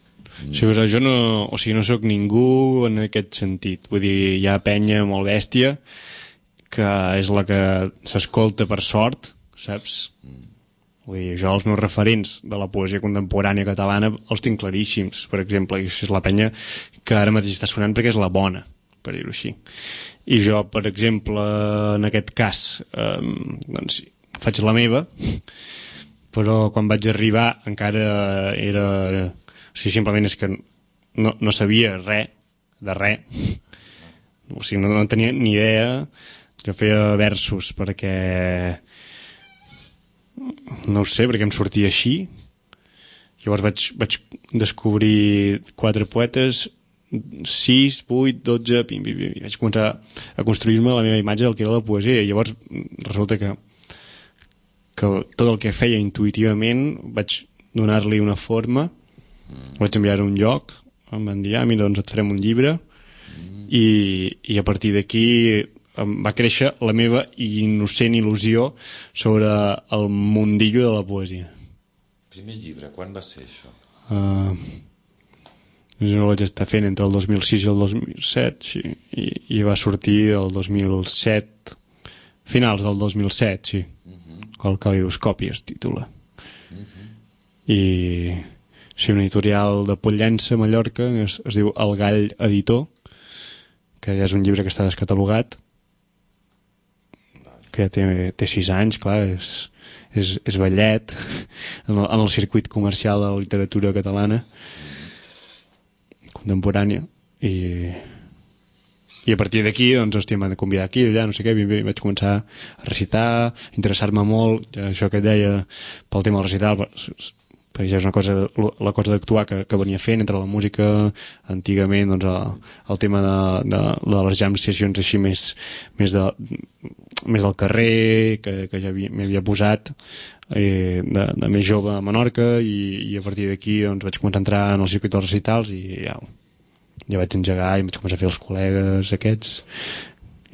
Sí, però jo no soc ningú en aquest sentit. Vull dir, hi ha penya molt bèstia que és la que s'escolta per sort, saps? Vull dir, jo els meus referents de la poesia contemporània catalana els tinc claríssims, per exemple, i això és la penya que ara mateix està sonant perquè és la bona, per dir-ho així. I jo, per exemple, en aquest cas, doncs faig la meva, però quan vaig arribar encara era... O sigui, simplement és que no sabia res de res. O sigui, no tenia ni idea. Jo feia versos perquè... No ho sé, perquè em sortia així. Llavors vaig descobrir 4 poetes, 6, 8, 12, pim, i vaig començar a construir-me la meva imatge del que era la poesia. I llavors resulta que tot el que feia intuïtivament vaig donar-li una forma, vaig enviar a un lloc, em van dir, mira, doncs et farem un llibre, i a partir d'aquí va créixer la meva innocent il·lusió sobre el mundillo de la poesia. Primer llibre, quan va ser això? Jo ho vaig estar fent entre el 2006 i el 2007, sí, i va sortir el 2007, finals del 2007, sí. El Calidoscopi es titula. I sí, una editorial de Pollença, Mallorca, es diu El Gall Editor, que ja és un llibre que està descatalogat, que té 6 anys, clar, és vellet en el circuit comercial de la literatura catalana contemporània, i a partir d'aquí, doncs, hòstia, m'han de convidar aquí, allà, no sé què, vaig començar a recitar, interessar-me molt, això que et deia, pel tema del recital, perquè ja és una cosa, la cosa d'actuar que venia fent entre la música, antigament, doncs, el tema de les jam sessions així més del carrer, que ja m'hi havia posat, de més jove a Menorca, i a partir d'aquí, doncs, vaig començar a entrar en el circuit dels recitals, i ja vaig engegar i vaig començar a fer els col·legues aquests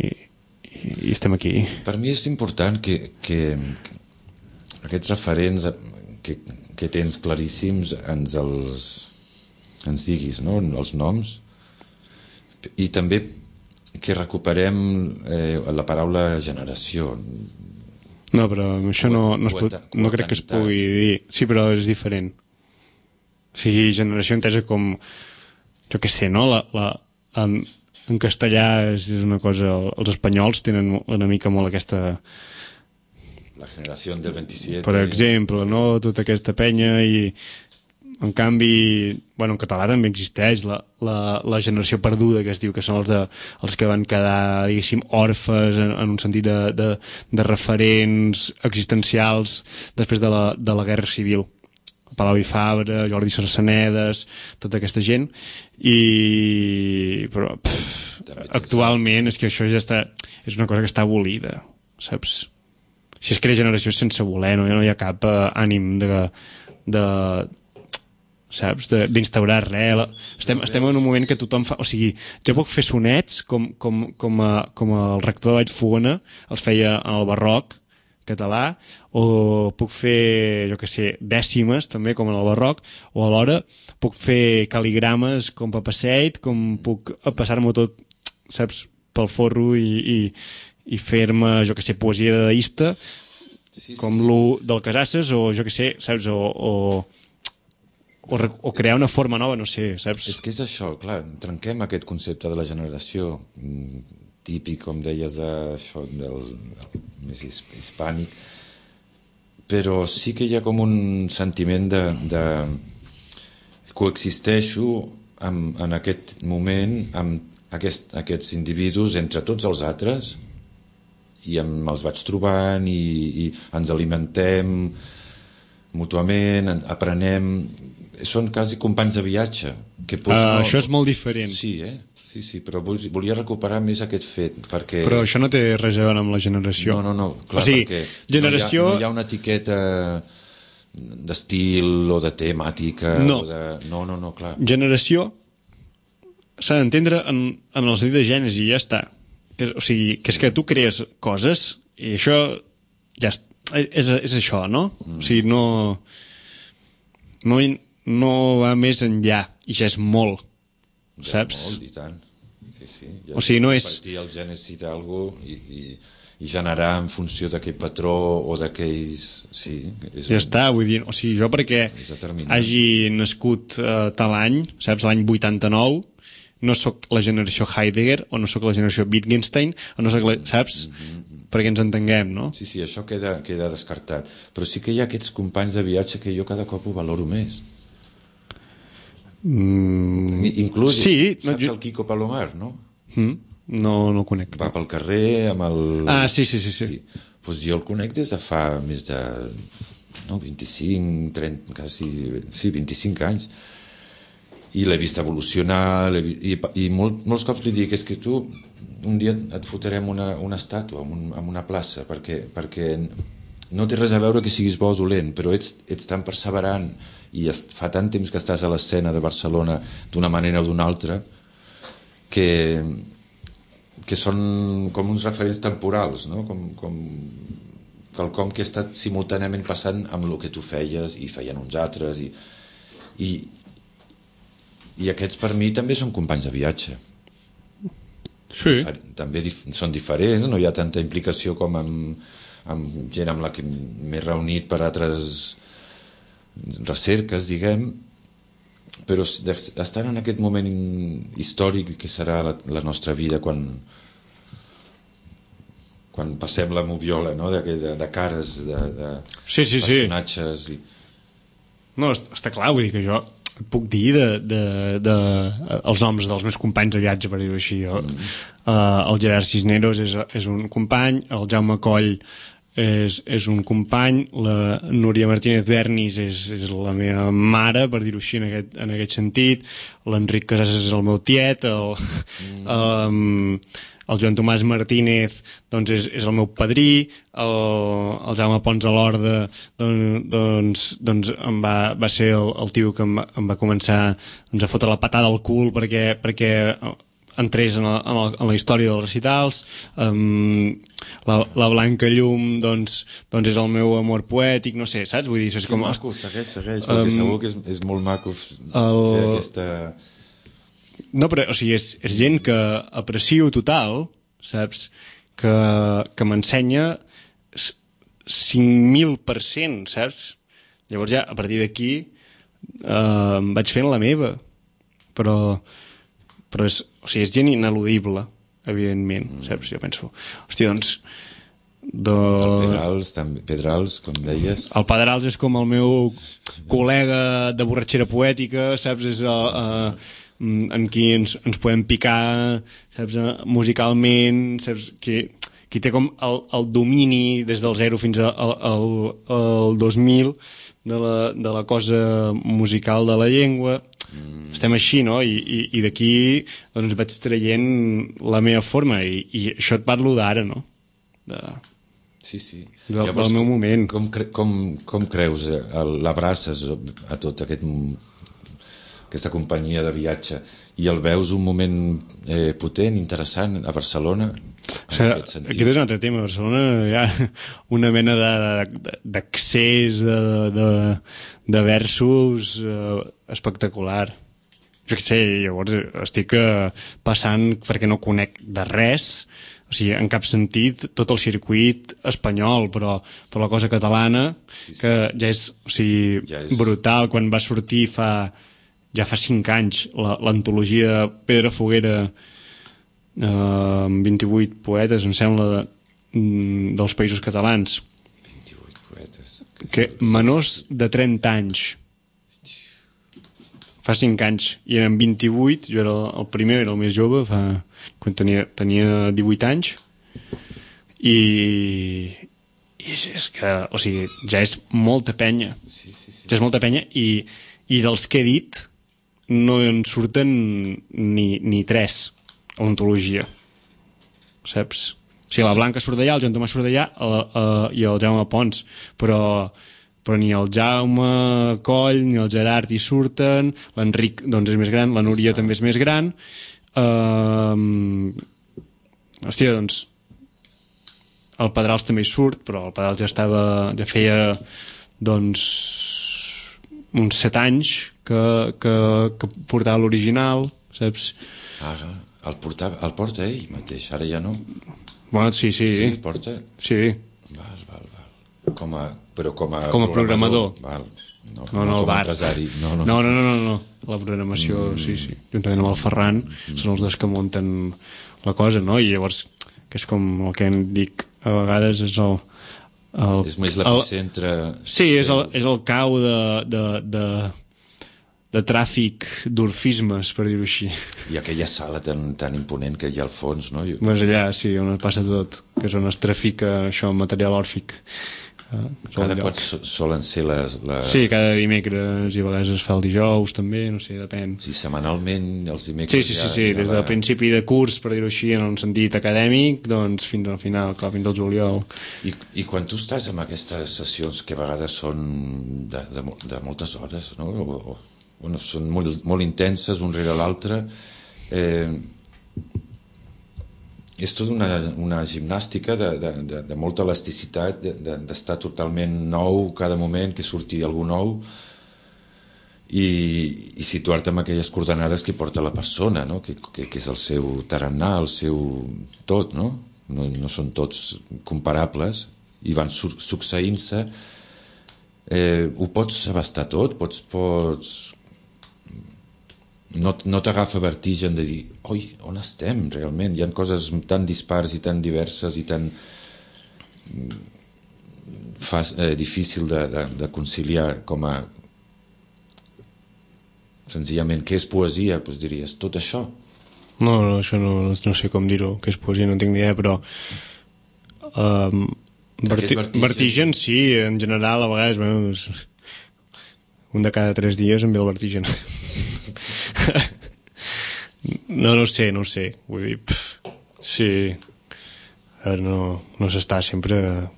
i estem aquí. Per mi és important que aquests referents que tens claríssims ens diguis, no? Els noms, i també que recuperem la paraula generació. No, però això no crec que es pugui dir. Sí, però és diferent. O sigui, generació entesa com, jo què sé, no? En castellà és una cosa... Els espanyols tenen una mica molt aquesta... La generació del 27... Per exemple, no? Tota aquesta penya i... En canvi, bueno, en català també existeix la generació perduda, que es diu, que són els que van quedar, diguéssim, orfes en un sentit de referents existencials després de la Guerra Civil. Palau i Fabra, Jordi Sarsenedes, tota aquesta gent, però actualment és que això ja està, és una cosa que està abolida, saps? Si es crea generació sense voler, no hi ha cap ànim saps, d'instaurar res. Estem en un moment que tothom fa... O sigui, jo puc fer sonets com el rector de Vallfogona els feia en el barroc català, o puc fer, jo què sé, dècimes també, com en el barroc, o alhora puc fer cal·ligrames com Papaseit, com puc passar-m'ho tot, saps, pel forro i fer-me, jo què sé, poesia dadaista, com l'U del Casasses, o jo què sé, saps, o crear una forma nova, no sé, saps? És que és això, clar, trenquem aquest concepte de la generació típic, com deies, això del més hispànic, però sí que hi ha com un sentiment de coexisteixo en aquest moment amb aquests individus entre tots els altres i els vaig trobant i ens alimentem mútuament, aprenem, són quasi companys de viatge que això és molt diferent. Sí, però volia recuperar més aquest fet perquè... Però això no té res a veure amb la generació. No, clar, o sigui, perquè generació... no hi ha una etiqueta d'estil o de temàtica no, no, clar. Generació s'ha d'entendre en el sentit de gènesi i ja està. O sigui, que és que tu crees coses i això ja és això, no? O sigui, no va més enllà i ja és molt, saps? Molt, i tant. Sí. Ja o sigui, no és... Partir el gènesi d'algú i generar en funció d'aquell patró o d'aquells... Sí, ja està, vull dir, o sigui, jo perquè hagi nascut tal any, saps, l'any 89, no sóc la generació Heidegger o no sóc la generació Wittgenstein o no sóc saps? Perquè ens entenguem, no? Sí, això queda descartat. Però sí que hi ha aquests companys de viatge que jo cada cop ho valoro més. Inclús, sí, saps el Quico Palomar, no? No el conec. Va pel carrer amb el... Ah, sí. Pues jo el conec des de fa més de 25, 30, quasi... Sí, 25 anys. I l'he vist evolucionar, i molts cops li dic, és que tu un dia et fotrem una estàtua en una plaça, perquè no té res a veure que siguis bo o dolent, però ets tan perseverant i fa tant temps que estàs a l'escena de Barcelona d'una manera o d'una altra que són com uns referents temporals, no? com quelcom que ha estat simultàniament passant amb el que tu feies i feien uns altres i aquests per mi també són companys de viatge. Sí. També són diferents, no hi ha tanta implicació com amb gent amb la que m'he reunit per altres recerques, diguem, però estan en aquest moment històric que serà la nostra vida quan passem la moviola, no? de cares, de personatges. No, està clar, vull dir que jo et puc dir els noms dels meus companys de viatge, per dir-ho així. El Gerard Cisneros és un company, el Jaume Coll és un company, la Núria Martínez Bernis és la meva mare, per dir-ho així, en aquest sentit, l'Enric Casasses és el meu tiet, el Joan Tomàs Martínez doncs és el meu padrí, el Jaume Pons a l'Horda doncs va ser el tio que em va començar a fotre la patada al cul perquè entrés en la història dels recitals. La Blanca Llum doncs és el meu amor poètic, no sé, saps? Vull dir, és com... Maco, segueix, perquè segur que és molt maco fer aquesta... No, però, o sigui, és gent que aprecio total, saps? Que m'ensenya 5.000%, saps? Llavors ja, a partir d'aquí, vaig fent la meva. Però és, o sigui, és gent ineludible, evidentment, saps? Jo penso, hòstia, doncs... El Pedrals, com deies. El Pedrals és com el meu col·lega de borratxera poètica, saps? És en qui ens podem picar, saps? Musicalment, saps? Qui té com el domini des del 0 fins al 2000 de la cosa musical de la llengua. Estem així, no? I d'aquí doncs vaig traient la meva forma i això et parlo d'ara, no? Sí. Del meu moment. Com creus, l'abraces a tota aquesta companyia de viatge i el veus un moment potent, interessant a Barcelona? O sigui, aquest és un altre tema. A Barcelona hi ha una mena d'accés de versos espectacular. Jo què sé, llavors estic passant perquè no conec de res, o sigui, en cap sentit tot el circuit espanyol, però la cosa catalana, que ja és, o sigui, brutal. Quan va sortir ja fa 5 anys l'antologia de Pedro Foguera, 28 poetes, em sembla, dels Països Catalans. 28 poetes. Que menors de 30 anys. Fa 5 anys. I eren 28, jo era el primer, era el més jove, quan tenia 18 anys. I és que, o sigui, ja és molta penya. Ja és molta penya i dels que he dit no en surten ni 3 a l'antologia, saps? O sigui, la Blanca surt d'allà, el Joan Tomàs surt d'allà i el Jaume Pons, però ni el Jaume Coll ni el Gerard hi surten, l'Enric doncs és més gran, la Núria també és més gran. Hòstia, doncs el Pedrals també hi surt, però el Pedrals ja feia doncs uns 7 anys que portava l'original, saps? El porta ell mateix, ara ja no. Bueno, sí. Sí, el porta? Sí. Val. Com a programador. Val. No, com a empresari. No. La programació, sí. Juntament amb el Ferran, són els dos que munten la cosa, no? I llavors, que és com el que em dic a vegades, és és més l'epicentre... Sí, és el cau de tràfic d'orfismes, per dir-ho així. I aquella sala tan imponent que hi ha al fons, no? Doncs allà, sí, on passa tot, que és on es trafica això, material òrfic. Cada cop solen ser les... Sí, cada dimecres i a vegades es fa el dijous també, no sé, depèn. Sí, setmanalment els dimecres... Sí, des del principi de curs, per dir-ho així, en un sentit acadèmic, doncs fins al final, clar, fins al juliol. I quan tu estàs en aquestes sessions que a vegades són de moltes hores, no? Bueno, són molt intenses, un rere l'altre, és tota una gimnàstica de molta elasticitat, d'estar totalment nou cada moment, que surti algú nou i situar-te en aquelles coordenades que porta la persona, no? Que és el seu tarannà, el seu tot, no? No són tots comparables i van succeint-se. Ho pots abastar tot, pots no t'agafa vertigen de dir oi, on estem realment? Hi ha coses tan dispars i tan diverses i tan difícil de conciliar com a senzillament què és poesia? Doncs diries, tot això? No, això no sé com dir-ho, què és poesia, no tinc ni idea, però vertigen sí, en general a vegades un de cada 3 dies em ve el vertigen. No sé, vull dir, sí, no s'està sempre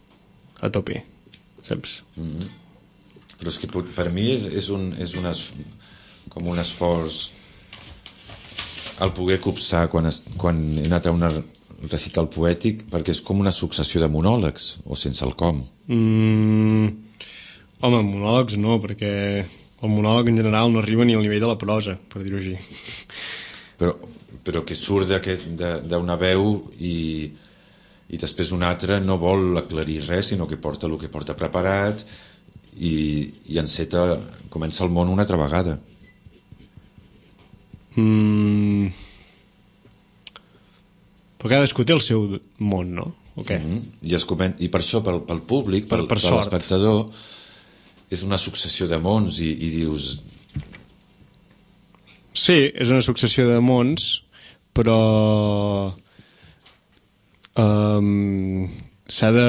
a tope, saps? Però és que per mi és com un esforç el poder copsar quan he anat a un recital poètic, perquè és com una successió de monòlegs, o sense el com. Home, monòlegs no, perquè el monòleg en general no arriba ni al nivell de la prosa, per dir-ho així. però que surt d'una veu i després un altre no vol aclarir res, sinó que porta el que porta preparat i enceta, comença el món una altra vegada. Però cadascú té el seu món, no? Okay. I per això pel públic, per l'espectador, és una successió de mons i dius... Sí, és una successió de mons, però s'ha de...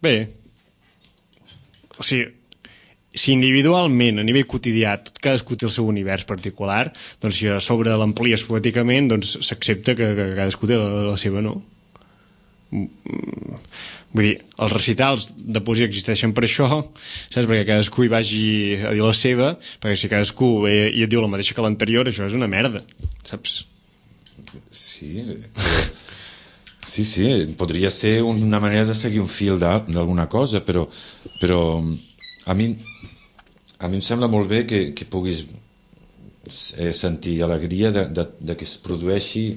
Bé, o sigui, si individualment, a nivell quotidià, cadascú té el seu univers particular, doncs si a sobre l'amplies poèticament, doncs s'accepta que cadascú té la seva, no? Vull dir, els recitals de poesia existeixen per això, saps? Perquè cadascú hi vagi a dir la seva, perquè si cadascú ve i et diu la mateixa que l'anterior, això és una merda, saps? Sí, podria ser una manera de seguir un fil d'alguna cosa, però a mi em sembla molt bé que puguis sentir alegria de que es produeixi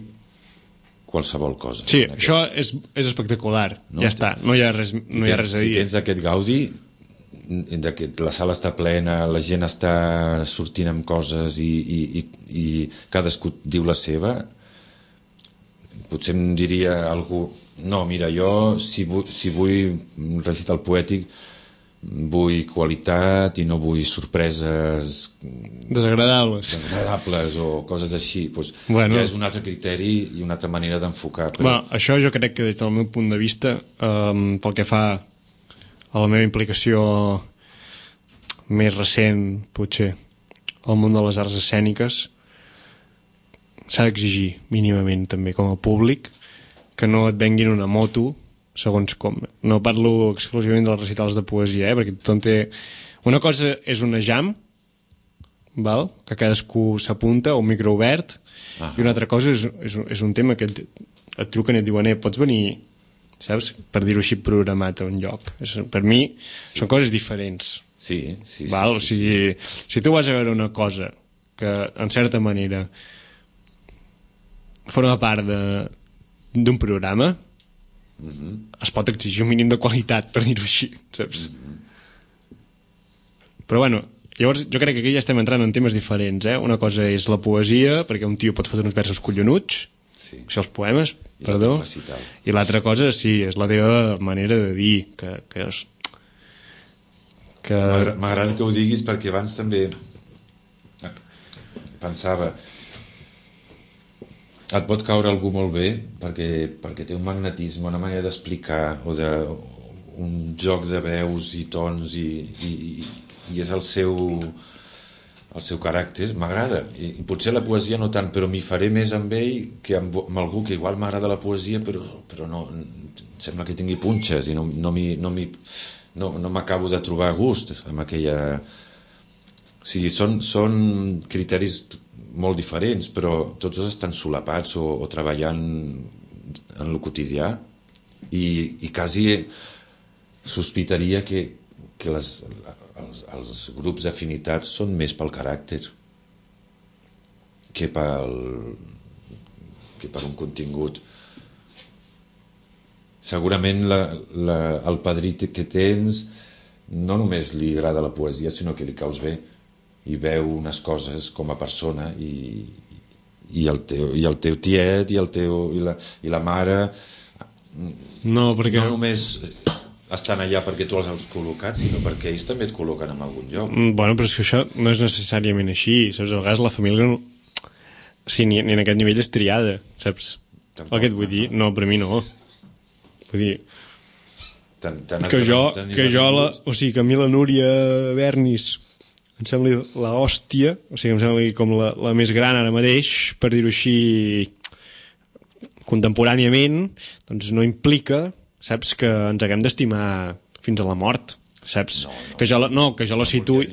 qualsevol cosa. Sí, això és espectacular, no? Ja està, no hi ha res a dir. Si tens aquest gaudi de que la sala està plena, la gent està sortint amb coses i cadascú diu la seva, potser em diria algú, no, mira, jo si vull recitar el poètic vull qualitat i no vull sorpreses desagradables o coses així, doncs ja és un altre criteri i una altra manera d'enfocar. Això jo crec que des del meu punt de vista, pel que fa a la meva implicació més recent, potser al món de les arts escèniques, s'ha d'exigir mínimament també com a públic que no et venguin una moto segons com. No parlo exclusivament dels recitals de poesia, perquè tothom té... Una cosa és una jam, val? Que cadascú s'apunta, un micro obert, i una altra cosa és un tema que et truquen i et diuen pots venir, saps? Per dir-ho així, programat a un lloc. Per mi són coses diferents. Sí. Val? O sigui, si tu vas a veure una cosa que, en certa manera, forma part d'un programa, es pot exigir un mínim de qualitat, per dir-ho així, saps? Però bueno, llavors jo crec que aquí ja estem entrant en temes diferents, Una cosa és la poesia, perquè un tio pot fotre uns versos collonuts, o sigui, els poemes, perdó, i l'altra cosa, sí, és la teva manera de dir, que és... M'agrada que ho diguis perquè abans també pensava... Et pot caure algú molt bé perquè té un magnetisme, una manera d'explicar o un joc de veus i tons i és el seu caràcter, m'agrada. I potser la poesia no tant, però m'hi faré més amb ell que amb algú que igual m'agrada la poesia però no, sembla que tingui punxes i no m'acabo de trobar a gust amb aquella... O sigui, són criteris molt diferents, però tots dos estan solapats o treballant en el quotidià i quasi sospitaria que els grups d'afinitats són més pel caràcter que per un contingut. Segurament el padrí que tens no només li agrada la poesia, sinó que li caus bé i veu unes coses com a persona i el teu tiet i la mare no només estan allà perquè tu els has col·locat, sinó perquè ells també et col·loquen en algun lloc. Bueno, però és que això no és necessàriament així, saps? A vegades la família no... Sí, ni en aquest nivell és triada, saps? Tampoc, el que et vull dir? No, per mi no. Vull dir... O sigui, que a mi la Núria Bernis em sembla l'hòstia, o sigui, em sembla com la més gran ara mateix, per dir-ho així, contemporàniament, doncs no implica, saps, que ens haguem d'estimar fins a la mort, saps? Que jo la situï...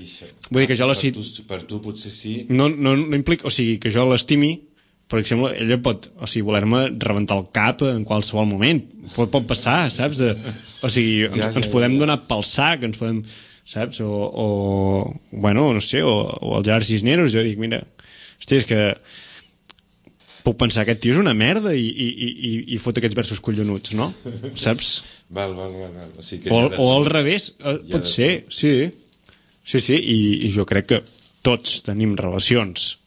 Vull dir que jo la situï... Per tu potser sí... No implica, o sigui, que jo l'estimi, per exemple, ella pot, o sigui, voler-me rebentar el cap en qualsevol moment, pot passar, saps? O sigui, ens podem donar pel sac, ens podem... saps? Bueno, no sé, o el Gerard Cisneros, jo dic, mira, Hòstia, és que puc pensar, aquest tio és una merda i fot aquests versos collonuts, no? Saps? Val. O, sigui que o al revés, pot ser, sí, i jo crec que tots tenim relacions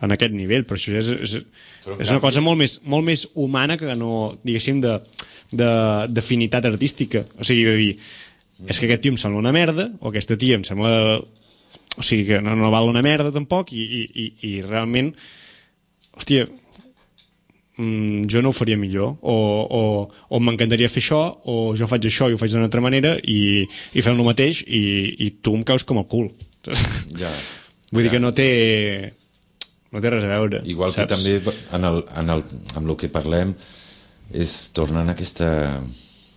en aquest nivell, però això és una cosa molt més humana que no, diguéssim, d'afinitat artística. O sigui, de dir, és que aquest tio em sembla una merda, o aquesta tia em sembla... O sigui, que no val una merda tampoc, i realment, hòstia, jo no ho faria millor, o m'encantaria fer això, o jo faig això i ho faig d'una altra manera, i fem el mateix, i tu em caus com el cul. Ja. Vull dir que no té res a veure. Igual saps? Que també amb el que parlem és tornant a aquesta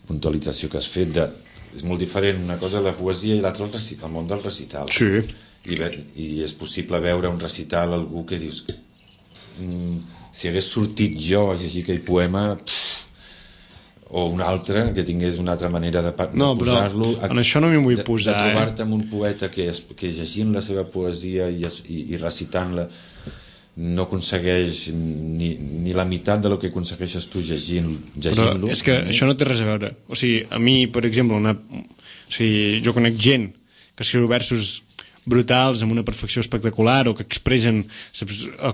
puntualització que has fet és molt diferent una cosa la poesia i l'altra el món del recital. Sí. I és possible veure un recital algú que dius si hagués sortit jo a llegir aquell poema o un altre que tingués una altra manera de posar-lo, en això no m'hi vull posar, de trobar-te amb un poeta que llegint la seva poesia i recitant-la no aconsegueix ni la meitat del que aconsegueixes tu llegint-lo. Però és que això no té res a veure. O sigui, a mi, per exemple, jo conec gent que escriu versos brutals amb una perfecció espectacular o que expressen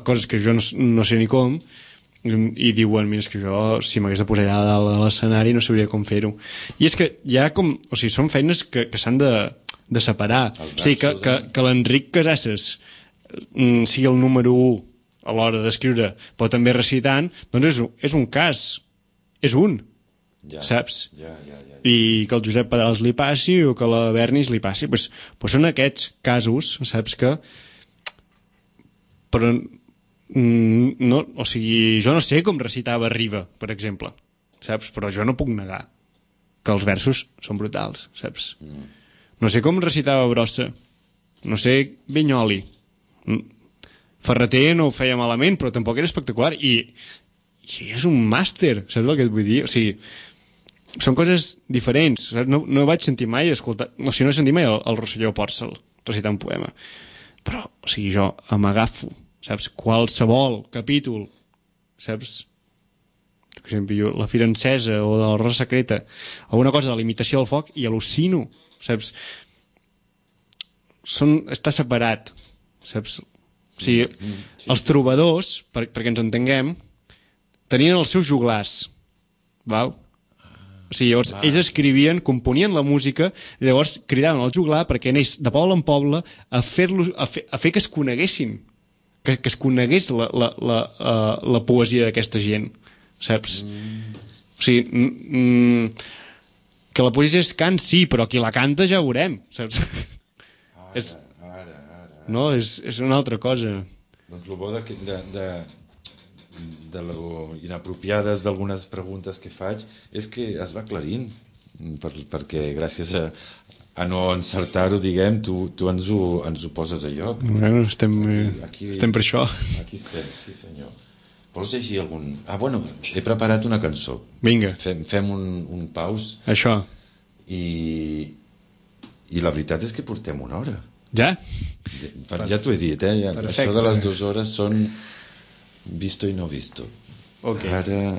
coses que jo no sé ni com, i diuen, mira, és que jo si m'hagués de posar allà dalt de l'escenari no sabria com fer-ho. I és que hi ha com... O sigui, són feines que s'han de separar. O sigui, que l'Enric Casasses sigui el número 1 a l'hora d'escriure, però també recitant, doncs és un cas. És un. Saps? I que el Josep Pedrals li passi o que la Bernis li passi. Pues són aquests casos, saps, que... Però... No, o sigui, jo no sé com recitava Riba, per exemple, saps? Però jo no puc negar que els versos són brutals, saps? No sé com recitava Brossa, no sé Vinyoli, Ferreter no ho feia malament, però tampoc era espectacular, i és un màster, saps el que et vull dir? O sigui, són coses diferents, saps? No vaig sentir mai escoltar, o sigui, no he sentit mai el Rosselló Pòrcel recitar un poema, però, o sigui, jo m'agafo, saps, qualsevol capítol, saps, per exemple, la Fira Encesa o de la Rosa Secreta, alguna cosa de l'imitació del foc, i al·lucino, saps? Està separat, saps? O sigui, els trobadors, perquè ens entenguem, tenien els seus joglars, val? O sigui, llavors, ells escrivien, componien la música, i llavors cridaven el joglar perquè anés de poble en poble a fer que es coneguessin, que es conegués la poesia d'aquesta gent, saps? O sigui, que la poesia és cant, sí, però qui la canta ja ho veurem, saps? No, és una altra cosa. Doncs el bo de lo inapropiades d'algunes preguntes que faig és que es va aclarint, perquè gràcies a no encertar-ho, diguem, tu ens ho poses a lloc. Bueno, estem per això. Aquí estem, sí senyor. Vols llegir algun... Bueno, he preparat una cançó. Vinga. Fem un paus. Això. I la veritat és que portem una hora. Ja? Ja t'ho he dit, Perfecte. Això de les 2 hores són visto i no visto. Okay. Ara...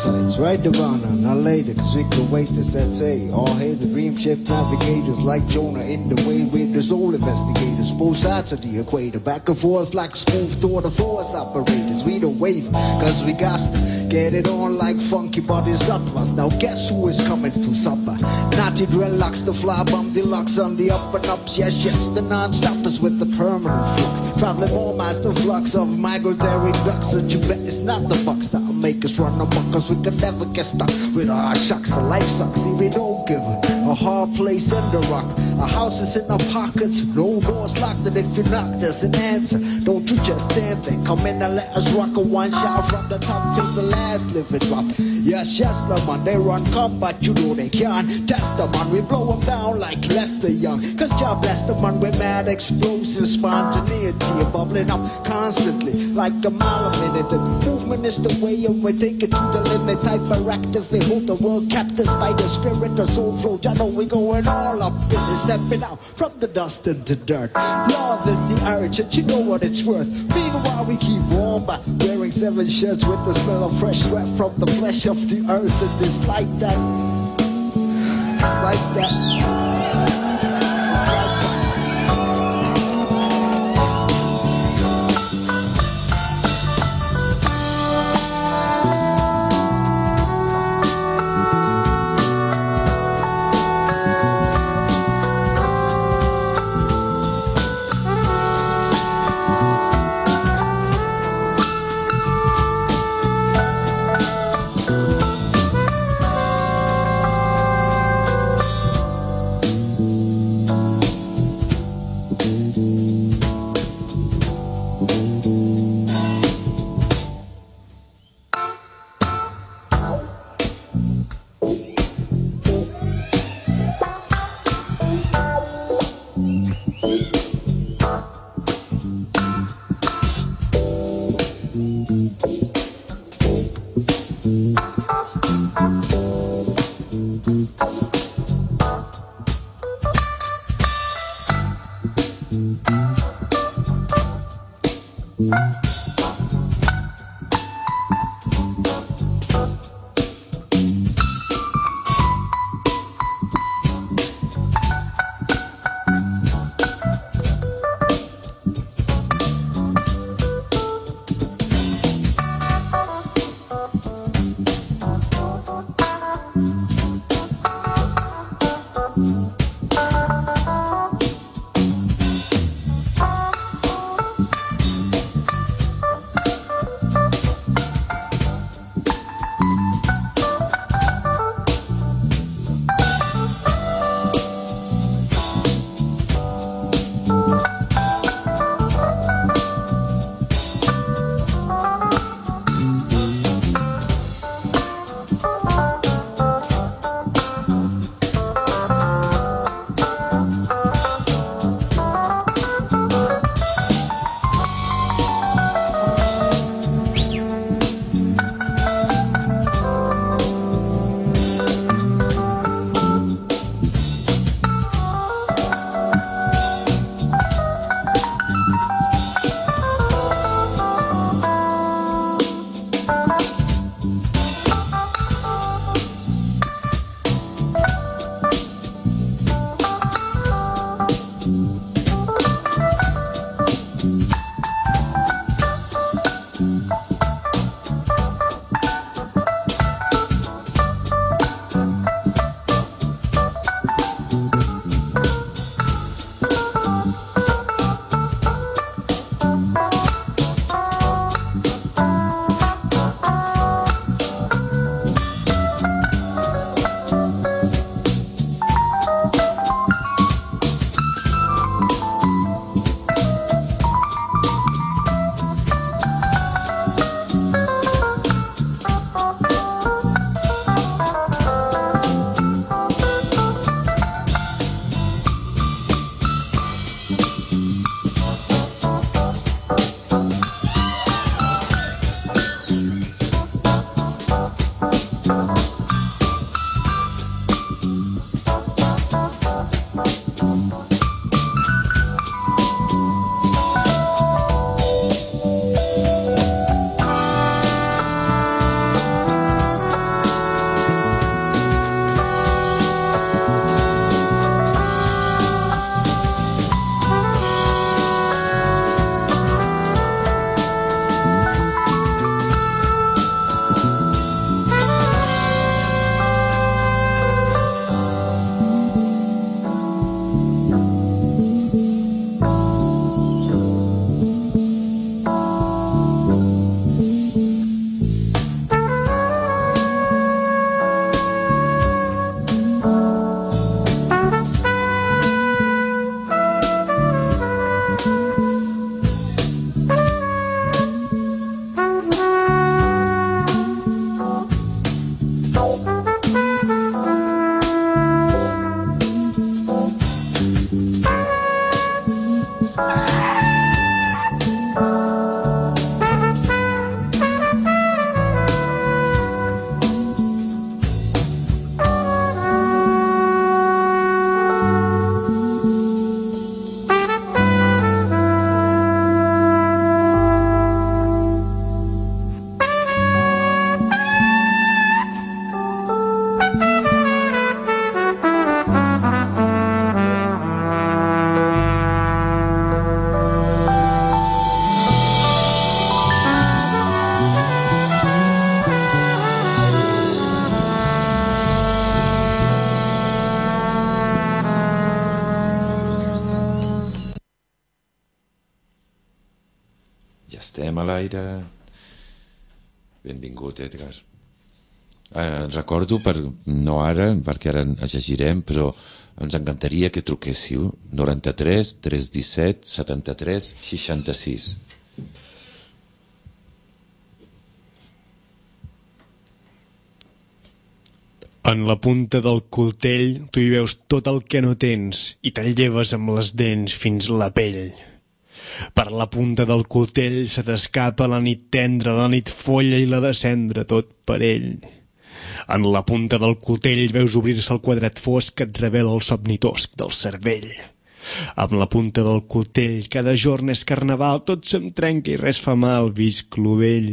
sights right around and not later, cause we can wait to set say. All hail the dream ship navigators like Jonah in the way with the soul investigators. Both sides of the equator, back and forth like smooth through the force operators. We don't waver, cause we got to get it on like funky bodies up us. Now guess who is coming to supper? Naughty dreadlocks, the fly bomb deluxe on the up and ups. Yes, yes, the non-stoppers with the permanent flux. Traveling more miles the flux of migratory ducks. And you bet it's not the bucks that'll make us run amok, cause we can never get stuck with our shucks. So life sucks, see we don't give a hard place in the rock. Our house is in our pockets, no doors locked. And if you knock, there's an answer. Don't you just stand there, come in and let us rock a one shot from the top till the last living drop. Yes, yes, the man, they run combat, you know they can't test the man. We blow them down like Lester Young, cause God bless the man, we're mad, explosive, spontaneity, bubbling up constantly like a mile a minute. And movement is the way, and we take it to the limit. Hyperactively hold the world captive by the spirit, the soul flow. I know we going all up in it, stepping out from the dust into dirt. Love is the urge, and you know what it's worth. Meanwhile, we keep warm by wearing 7 shirts with the smell of fresh sweat from the flesh of the earth. And it's like that. It's like that. a l'aire. Benvingut, Edgar. Recordo, no ara, perquè ara ens llegirem, però ens encantaria que truquéssiu 93 317 73 66. En la punta del coltell tu hi veus tot el que no tens i te'l lleves amb les dents fins la pell. Per la punta del coltell se t'escapa la nit tendra, la nit folla i la de cendra, tot per ell. En la punta del coltell veus obrir-se el quadrat fosc que et revela el somni tosc del cervell. Amb la punta del coltell cada jorn és carnaval, tot se'm trenca i res fa mal, visc clovell.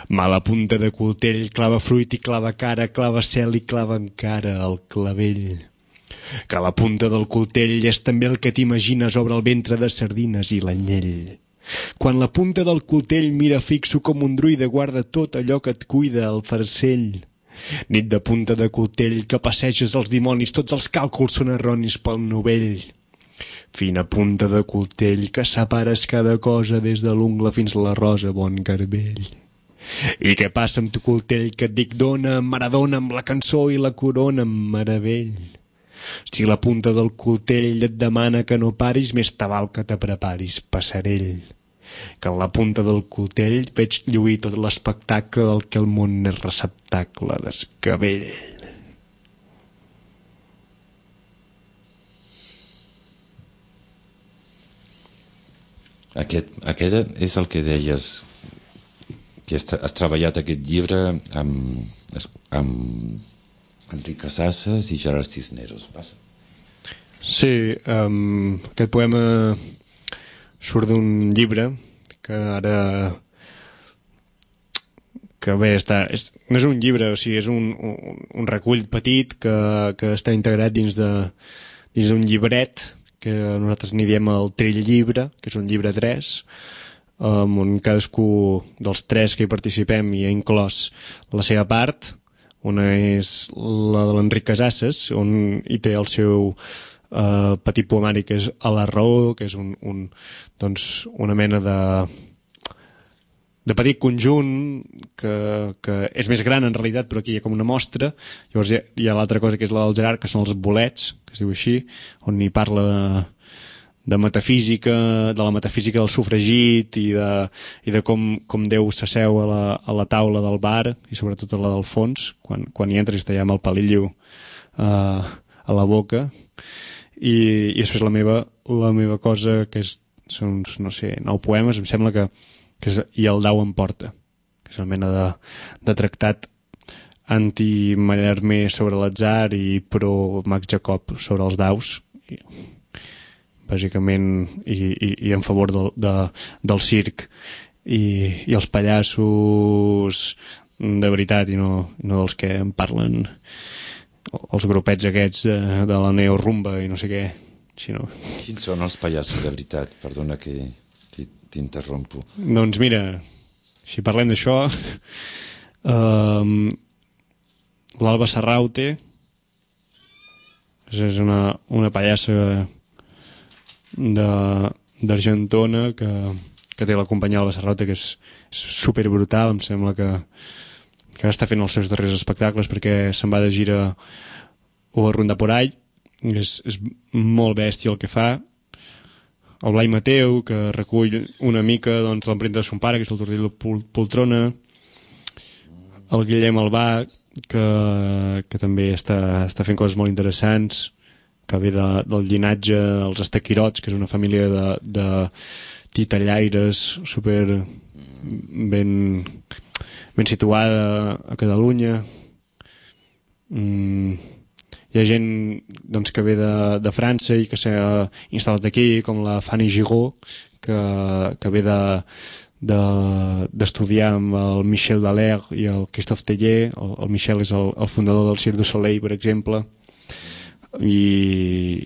Mala punta de coltell clava fruit i clava cara, clava cel i clava encara el clavell. Que la punta del coltell és també el que t'imagines obre el ventre de sardines i l'anyell. Quan la punta del coltell mira fixo com un druida guarda tot allò que et cuida el farcell. Nit de punta de coltell que passeges els dimonis, tots els càlculs són erronis pel novell. Fina punta de coltell que separes cada cosa des de l'ungla fins a la rosa, bon garbell. I què passa amb tu coltell que et dic dona, Maradona amb la cançó i la corona amb meravell. Si la punta del coltell et demana que no paris, més te val que te preparis, passarell. Que en la punta del coltell veig lluir tot l'espectacle del que el món és receptacle d'escabell. Aquest és el que deies, que has treballat aquest llibre amb Enric Casasses i Gerard Cisneros. Passa. Sí, aquest poema surt d'un llibre que ara bé no és un llibre, o sigui, és un recull petit que està integrat dins d'un llibret que nosaltres n'hi diem el Trill Llibre, que és un llibre 3, on cadascú dels 3 que hi participem hi ha inclòs la seva part. Una és la de l'Enric Casasses, on hi té el seu petit poemari que és A la raó, que és una mena de petit conjunt que és més gran en realitat, però aquí hi ha com una mostra. Llavors hi ha l'altra cosa que és la del Gerard, que són els bolets, que es diu així, on hi parla de metafísica, de la metafísica del sufragit i de com Déu s'asseu a la taula del bar i sobretot a la del fons, quan hi entres i amb el palillo a la boca. I després la meva cosa, que són uns, no sé, 9 poemes, em sembla que és I el dau em porta, que és una mena de tractat anti-Mallarmé sobre l'atzar i pro-Max Jacob sobre els daus, bàsicament, i en favor del circ i els pallassos de veritat i no dels que en parlen els grupets aquests de la neorumba i no sé què, sinó... Quins són els pallassos de veritat? Perdona que t'interrompo. Doncs mira, si parlem d'això, l'Alba Serraute és una pallassa d'Argentona que té la companyia Alba Serraute, que és super brutal. Em sembla que està fent els seus darrers espectacles perquè se'n va de gira o a Ronda por Ahí. És molt bèstia el que fa. El Blai Mateu, que recull una mica l'empremta de son pare, que és el Tortell de Poltrona. El Guillem Albà, que també està fent coses molt interessants, que ve del llinatge dels Estaquirots, que és una família de titellaires super ben situada a Catalunya. Hi ha gent que ve de França i que s'ha instal·lat aquí, com la Fanny Gigot, que ve d'estudiar amb el Michel Dallaire i el Christophe Tellier. El Michel és el fundador del Cirque du Soleil, per exemple, i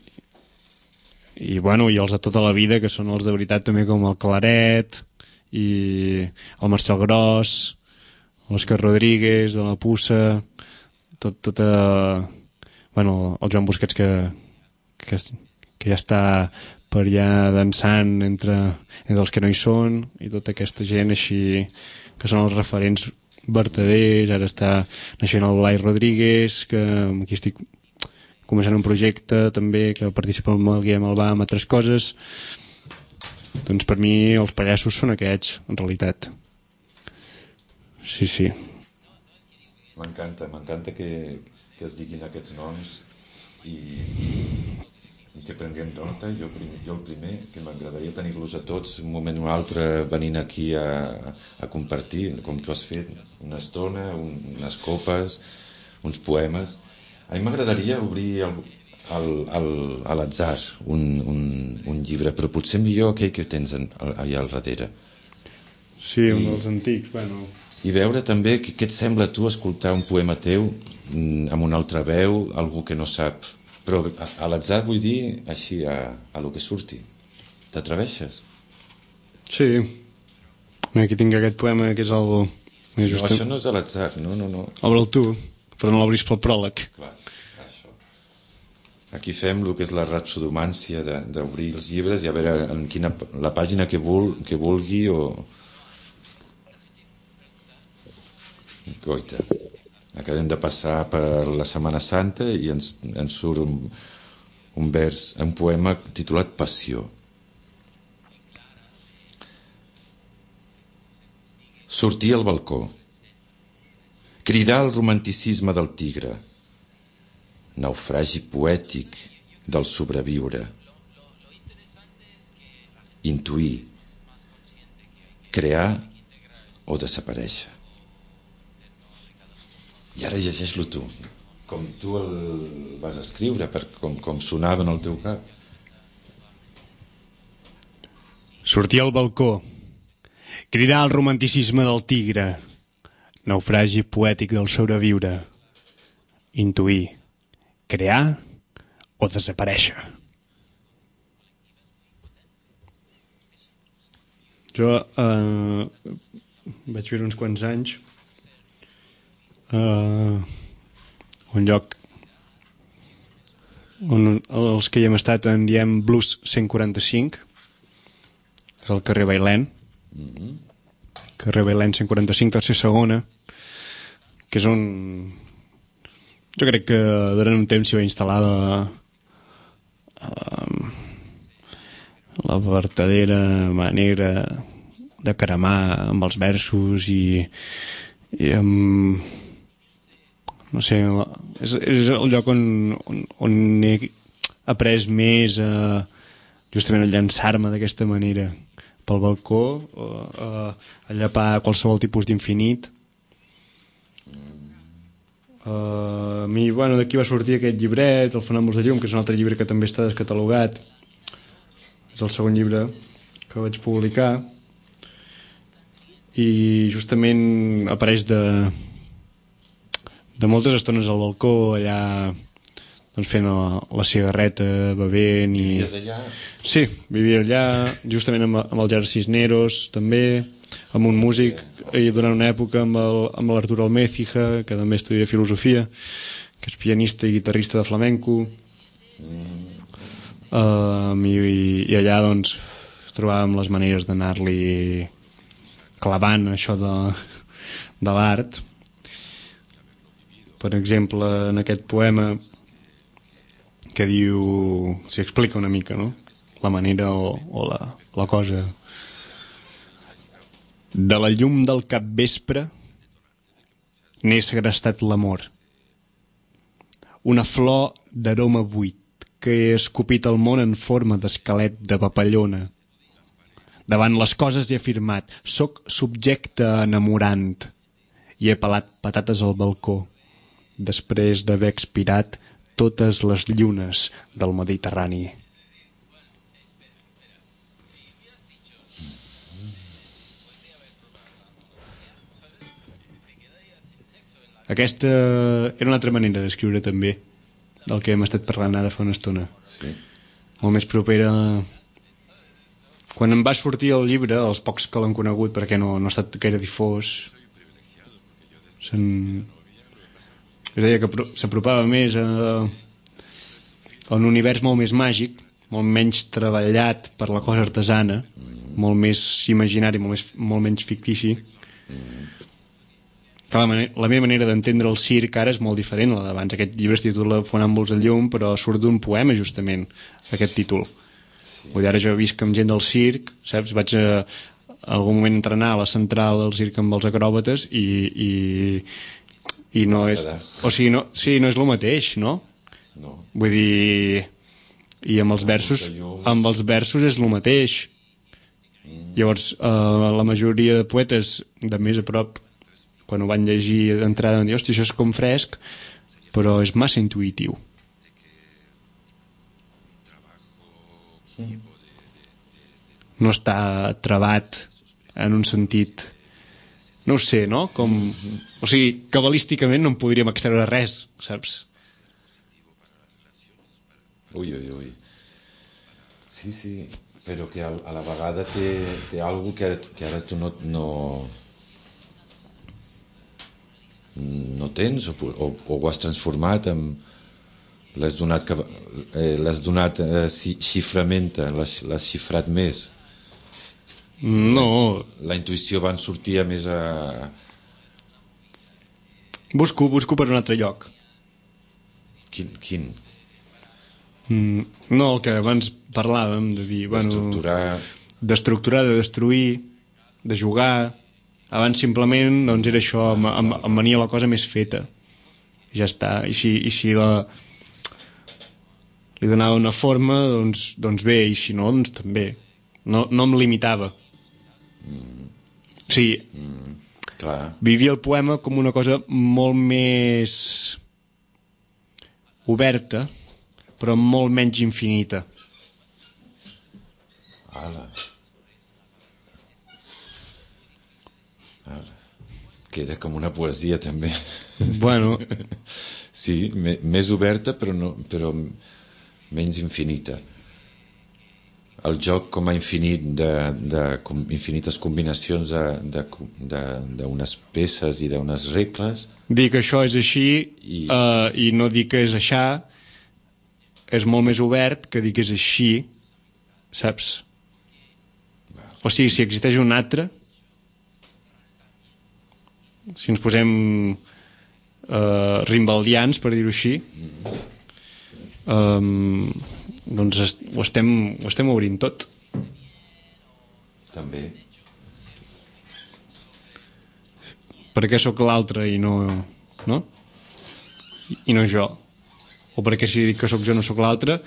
els de tota la vida, que són els de veritat també, com el Claret i el Marcel Gros, l'Òscar Rodríguez de la Puça, el Joan Busquets, que ja està per allà dansant entre els que no hi són, i tota aquesta gent així que són els referents vertaders. Ara està naixent el Blai Rodríguez, que aquí estic començant un projecte també, que participa amb el Guillem Albà amb altres coses. Doncs per mi els pallassos són aquests, en realitat. Sí, sí. M'encanta que es diguin aquests noms i que prenguem nota. Jo el primer, que m'agradaria tenir-los a tots un moment o un altre venint aquí a compartir, com tu has fet, una estona, unes copes, uns poemes. A mi m'agradaria obrir a l'atzar un llibre, però potser millor aquell que tens allà al darrere. Sí, un dels antics, bueno. I veure també què et sembla a tu escoltar un poema teu amb una altra veu, algú que no sap, però a l'atzar vull dir així a lo que surti. T'atreveixes? Sí. Aquí tinc aquest poema que és el... No, això no és a l'atzar, no. Obre'l tu, però no l'obris pel pròleg. Clar, això. Aquí fem el que és la rapsodomància d'obrir els llibres i a veure en la pàgina que vulgui o... Goita. Acabem de passar per la Setmana Santa i ens surt un vers, un poema titulat Passió. Sortir al balcó, cridar el romanticisme del tigre, naufragi poètic del sobreviure, intuir, crear o desaparèixer. I ara llegeix-lo tu, com tu el vas escriure, com sonava en el teu cap. Sortir al balcó, cridar el romanticisme del tigre, naufragi poètic del sobreviure, intuir, crear o desaparèixer. Jo vaig viure uns quants anys un lloc on els que hi hem estat en diem Blues 145, és el carrer Bailèn, carrer Bailèn 145, tercera segona, que és on jo crec que durant un temps s'hi va instal·lar la vertadera manera de caramar amb els versos i amb... no sé, és el lloc on he après més justament a llançar-me d'aquesta manera pel balcó, a llapar qualsevol tipus d'infinit. A mi, bueno, d'aquí va sortir aquest llibret, El Fonàmbuls de Llum, que és un altre llibre que també està descatalogat. És el segon llibre que vaig publicar i justament apareix de moltes estones al balcó, allà doncs fent la cigarreta, bevent i... Vivies allà? Sí, vivia allà, justament amb el Gerard Cisneros, també, amb un músic, i durant una època amb l'Artur Almécija, que també estudia filosofia, que és pianista i guitarrista de flamenco. I allà, doncs, trobàvem les maneres d'anar-li clavant això de l'art. Per exemple, en aquest poema que diu, s'hi explica una mica, no? La manera o la cosa. De la llum del capvespre n'he segrestat l'amor. Una flor d'aroma buit que he escopit al món en forma d'esquelet de papallona. Davant les coses he afirmat, soc subjecte enamorant, i he pelat patates al balcó, després d'haver expirat totes les llunes del Mediterrani. Aquesta era una altra manera d'escriure també, del que hem estat parlant ara fa una estona. Sí. Molt més propera... Quan em va sortir el llibre, els pocs que l'han conegut, perquè no ha estat gaire difós, es deia que s'apropava més a un univers molt més màgic, molt menys treballat per la cosa artesana, molt més imaginari, molt menys fictici. La meva manera d'entendre el circ ara és molt diferent a la d'abans. Aquest llibre es titula Fonàmbuls al llum, però surt d'un poema, justament, aquest títol. Vull dir, ara jo visc amb gent del circ, saps? Vaig a algun moment entrenar a la central del circ amb els acròbates i no és... O sigui, no és el mateix, no? No. Vull dir... I amb els versos és el mateix. Llavors, la majoria de poetes de més a prop, quan ho van llegir d'entrada, van dir, hòstia, això és com fresc, però és massa intuïtiu. No està travat en un sentit... No ho sé, no? Com... O sigui, cabalísticament no en podríem extreure res, saps? Ui. Sí, però que a la vegada té algo que ara tu no tens o ho has transformat l'has donat xiframent, l'has xifrat més. No. La intuïció va sortir més a... Busco per un altre lloc. Quin? No, el que abans parlàvem de dir, d'estructurar, de destruir, de jugar. Abans simplement doncs era això, em venia la cosa més feta, ja està. I si li donava una forma, doncs bé, i si no, doncs també no em limitava. Sí, clar. Vivia el poema com una cosa molt més oberta, però molt menys infinita. Ala. Queda com una poesia també. Bueno. Sí, més oberta però menys infinita. El joc com a infinit infinites combinacions d'unes peces i d'unes regles. Dir que això és així i no dir que és aixà és molt més obert que dir que és així, saps? O sigui, si existeix un altre, si ens posem rimbaldians, per dir-ho així, doncs ho estem obrint tot. També. Per què sóc l'altre i no jo? O perquè si dic que sóc jo no sóc l'altre?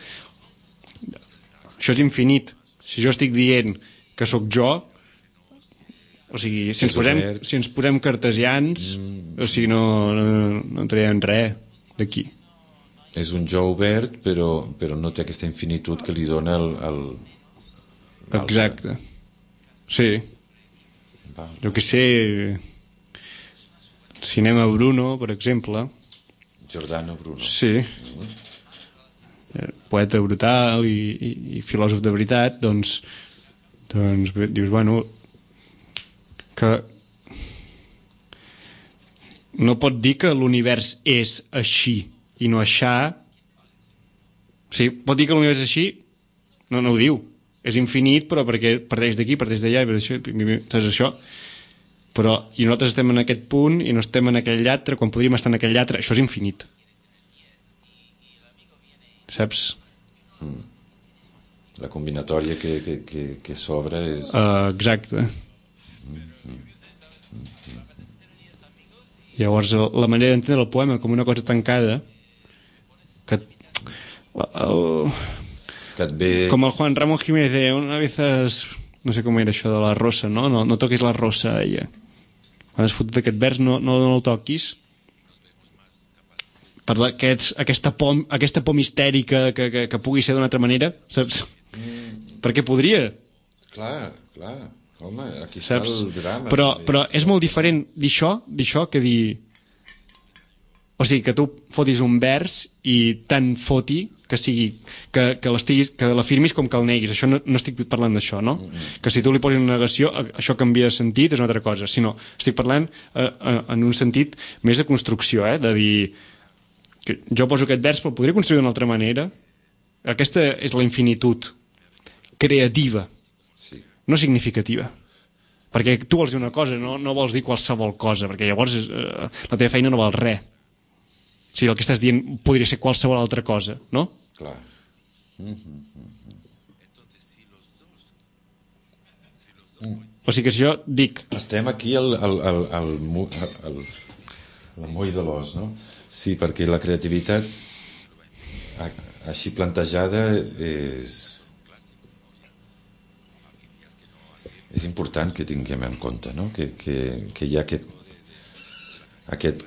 Això és infinit. Si jo estic dient que sóc jo, o sigui, si ens posem cartesians, o sigui, no traiem res d'aquí. És un jo obert, però no té aquesta infinitud que li dona el Exacte. Sí. Jo que sé, Cinema Bruno, per exemple. Giordano Bruno. Sí. Poeta brutal i filòsof de veritat, doncs dius, bueno, que no pot dir que l'univers és així i no aixà. O sigui, pot dir que l'univers és així? No ho diu. És infinit, però perquè parteix d'aquí, parteix d'allà, és això. Però, i nosaltres estem en aquest punt i no estem en aquell altre, quan podríem estar en aquell altre. Això és infinit. Saps? La combinatòria que s'obre és... Exacte. Llavors, la manera d'entendre el poema com una cosa tancada que et ve... com el Juan Ramón Jiménez de una vez no sé com era això de la rosa, no toquis la rosa, ella. Quan has fotut aquest vers no el toquis, per aquesta por mistèrica que pugui ser d'una altra manera, saps? Perquè podria. Clar, home, aquí està el drama. Però és molt diferent dir això que dir... O sigui, que tu fotis un vers i tant foti que sigui que l'afirmis com que el neguis. Això no estic parlant d'això, no? Que si tu li posis una negació, això canvia de sentit, és una altra cosa. Sinó, estic parlant en un sentit més de construcció, de dir que jo poso aquest vers però podria construir d'una altra manera Aquesta és la infinitud creativa, no significativa. Perquè tu vols dir una cosa, no vols dir qualsevol cosa, perquè llavors la teva feina no val res. O sigui, el que estàs dient podria ser qualsevol altra cosa, no? Clar. O sigui que si jo dic... Estem aquí al moll de l'os, no? Sí, perquè la creativitat així plantejada és important que tinguem en compte, no? Que hi ha aquest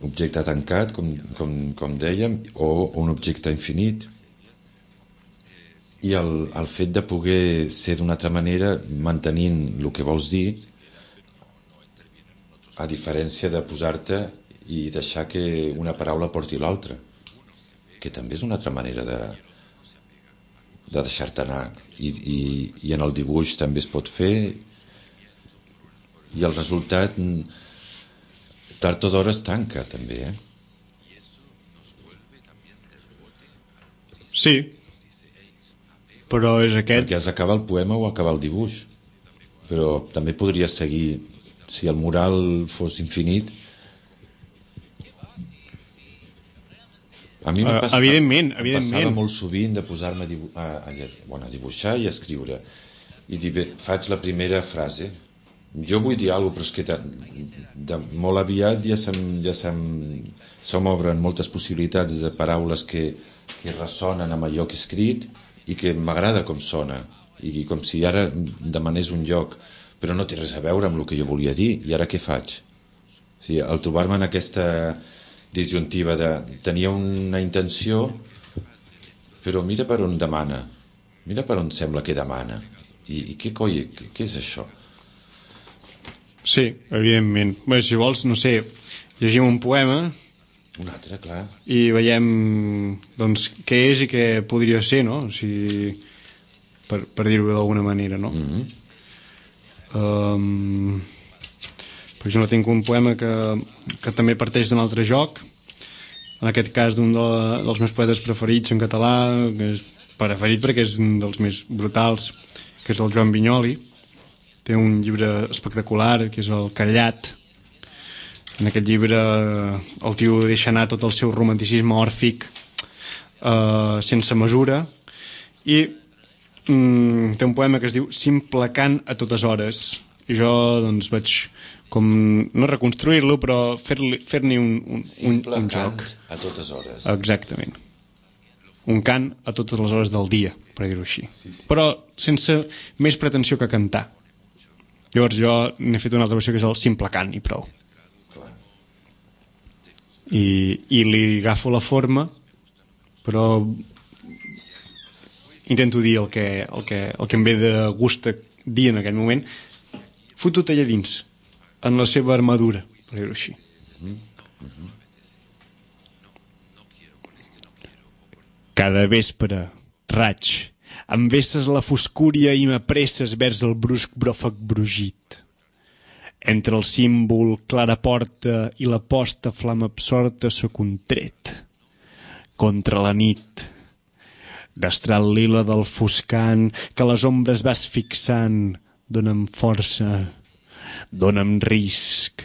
objecte tancat, com dèiem, o un objecte infinit, i el fet de poder ser d'una altra manera mantenint el que vols dir, a diferència de posar-te i deixar que una paraula porti l'altra, que també és una altra manera de deixar-te anar, i en el dibuix també es pot fer, i el resultat tard o d'hora es tanca també, Sí, però és aquest... perquè has d'acabar el poema o acabar el dibuix, però també podria seguir, si el mural fos infinit. A mi em passava molt sovint de posar-me a dibuixar i a escriure, i dir, bé, faig la primera frase, jo vull dir alguna cosa, però és que molt aviat ja se m'obren moltes possibilitats de paraules que ressonen amb allò que he escrit i que m'agrada com sona, i com si ara demanés un lloc, però no té res a veure amb el que jo volia dir, i ara què faig? O sigui, al trobar-me en aquesta disjuntiva de tenia una intenció, però mira per on demana, mira per on sembla que demana, i què coi, què és això? Sí, evidentment. Bé, si vols, no sé, llegim un poema... Un altre, clar. I veiem, doncs, què és i què podria ser, no? O sigui, per dir-ho d'alguna manera, no? Per exemple, tinc un poema que també parteix d'un altre joc, en aquest cas d'un dels meus poetes preferits en català, que és preferit perquè és un dels més brutals, que és el Joan Vinyoli. Té un llibre espectacular, que és el Callat. En aquest llibre el tio deixa anar tot el seu romanticisme òrfic sense mesura, i té un poema que es diu Simple cant a totes hores, i jo doncs vaig com no reconstruir-lo, però fer-ne un Simple cant joc a totes hores. Exactament, un cant a totes les hores del dia, per dir-ho així, però sense més pretensió que cantar. Llavors jo n'he fet una altra versió que és el simple cant i prou, i li agafo la forma, però intento dir el que em ve de gust dir en aquell moment, fotut allà dins, en la seva armadura, per dir-ho així. Cada vespre, raig, em vesses la foscúria i m'apresses vers el brusc bròfec brugit. Entre el símbol clara porta i la posta flama absorta soc un tret. Contra la nit, destral lila del foscant que les ombres vas fixant, dona'm força, dona'm risc.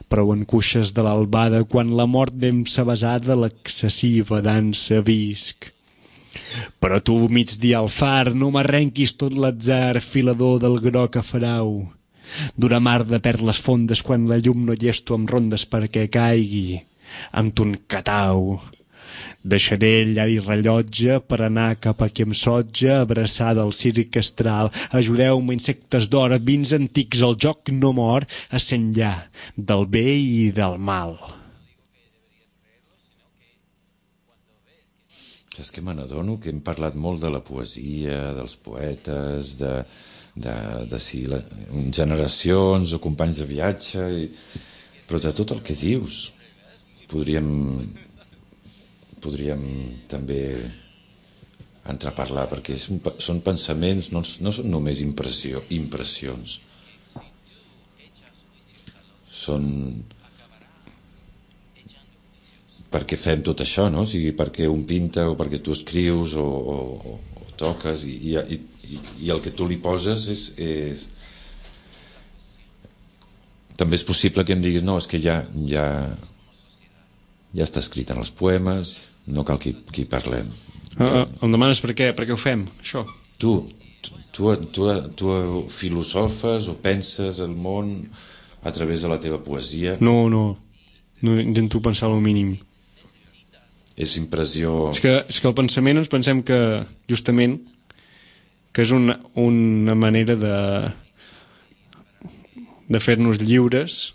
Prou en cuixes de l'albada quan la mort ben sabesada l'excessiva dansa visc. Però tu, migdia al far, no m'arrenquis tot l'atzar filador del groc afarau. D'una mar de perles fondes quan la llum no llesto amb rondes perquè caigui amb ton catau. Deixaré llar i rellotge per anar cap a qui em sotja, abraçada al circ astral. Ajudeu-me, insectes d'or, vins antics, el joc no mor, a s'enllà del bé i del mal. És que me n'adono que hem parlat molt de la poesia, dels poetes, de si generacions o companys de viatge, però de tot el que dius podríem també entrar a parlar, perquè són pensaments, no són només impressions, són per què fem tot això, no? O sigui, perquè un pinta o perquè tu escrius o toques i el que tu li poses és... També és possible que em diguis no, és que ja està escrit en els poemes, no cal que hi parlem. Em demanes per què ho fem, això? Tu filosofes o penses el món a través de la teva poesia? No intento pensar el mínim. És impressió... És que el pensament ens pensem que, justament, que és una manera de fer-nos lliures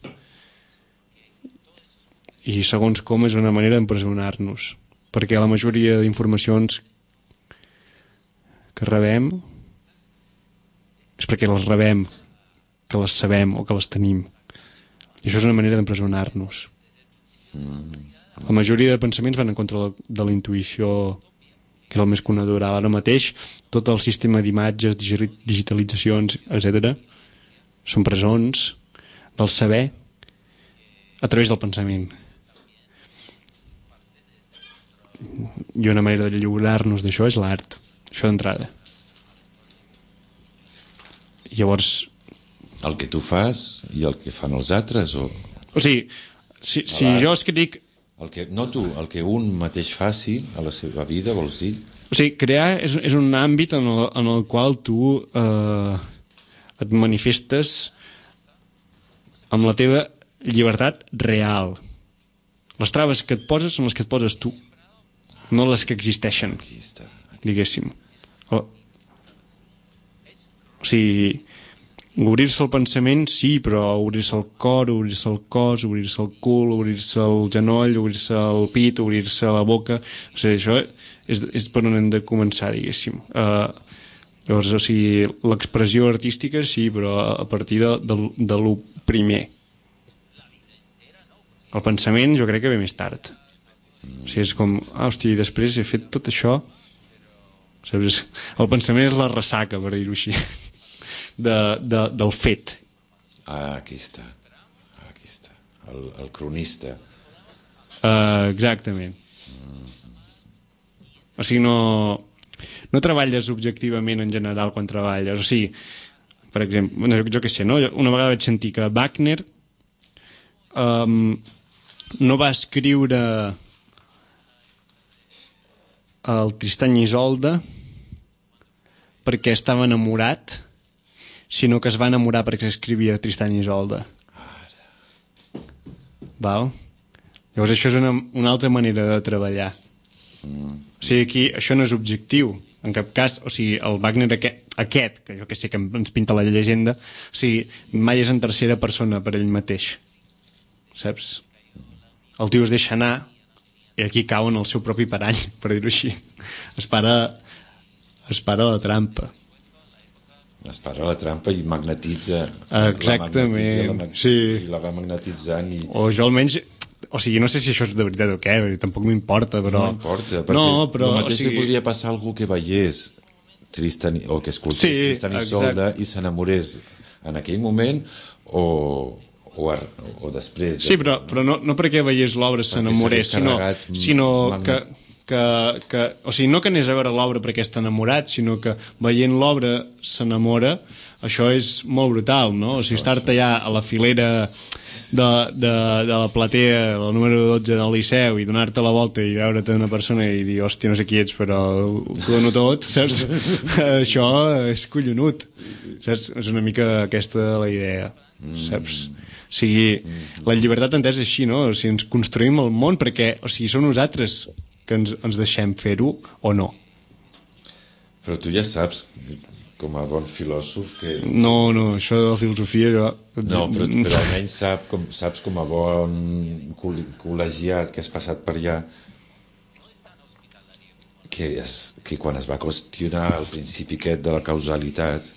i, segons com, és una manera d'empresonar-nos. Perquè la majoria d'informacions que rebem és perquè les rebem, que les sabem o que les tenim. I això és una manera d'empresonar-nos. La majoria de pensaments van en contra de la intuïció, que és el més conegut ara mateix. Tot el sistema d'imatges, digitalitzacions, etc. són presons del saber a través del pensament. I una manera de lliurar-nos d'això és l'art, això d'entrada. Llavors... El que tu fas i el que fan els altres? O sigui, si jo escric... El que un mateix faci a la seva vida, vols dir? O sigui, crear és un àmbit en el qual tu et manifestes amb la teva llibertat real. Les traves que et poses són les que et poses tu, no les que existeixen, diguéssim. O sigui, obrir-se el pensament, sí, però obrir-se el cor, obrir-se el cos, obrir-se el cul, obrir-se el genoll, obrir-se el pit, obrir-se la boca... O sigui, això és per on hem de començar, diguéssim. Llavors, o sigui, l'expressió artística, sí, però a partir de lo primer. El pensament jo crec que ve més tard. O sigui, és com, hòstia, després he fet tot això... Saps? El pensament és la ressaca, per dir-ho així. Del fet. Aquí està el cronista. Exactament. O sigui, no treballes objectivament en general quan treballes. O sigui, per exemple, jo què sé, no? Una vegada vaig sentir que Wagner no va escriure el Tristany i Isolde perquè estava enamorat, sinó que es va enamorar perquè escrivia Tristany i Isolde. Val? Llavors això és una altra manera de treballar. O sigui, aquí això no és objectiu en cap cas. O sigui, el Wagner aquest que jo que sé que ens pinta la llegenda, o sigui, mai és en tercera persona per ell mateix, saps? El tio es deixa anar i aquí cau en el seu propi parany, per dir-ho així. Es para la trampa. Es para la trampa i magnetitza. Exactament, sí. I la va magnetitzant o jo almenys, o sigui, no sé si això és de veritat o què, tampoc m'importa, però... No importa, perquè el mateix li podria passar a algú que veiés Tristan, o que escoltés Tristan i Isolde i s'enamorés en aquell moment o després. Sí, però no perquè veiés l'obra s'enamorés, sinó que o sigui, no que anés a veure l'obra perquè està enamorat, sinó que veient l'obra s'enamora. Això és molt brutal, no? O sigui, estar-te allà a la filera de la platea, el número 12 del Liceu, i donar-te la volta i veure't una persona i dir, hòstia, no sé qui ets, però ho dono tot, saps? Això és collonut, saps? És una mica aquesta la idea, saps? O sigui, la llibertat entesa és així, no? O sigui, ens construïm el món perquè, o sigui, som nosaltres que ens deixem fer-ho o no. Però tu ja saps, com a bon filòsof, que... No, això de la filosofia jo... No, però almenys saps com a bon col·legiat que has passat per allà que quan es va qüestionar el principi aquest de la causalitat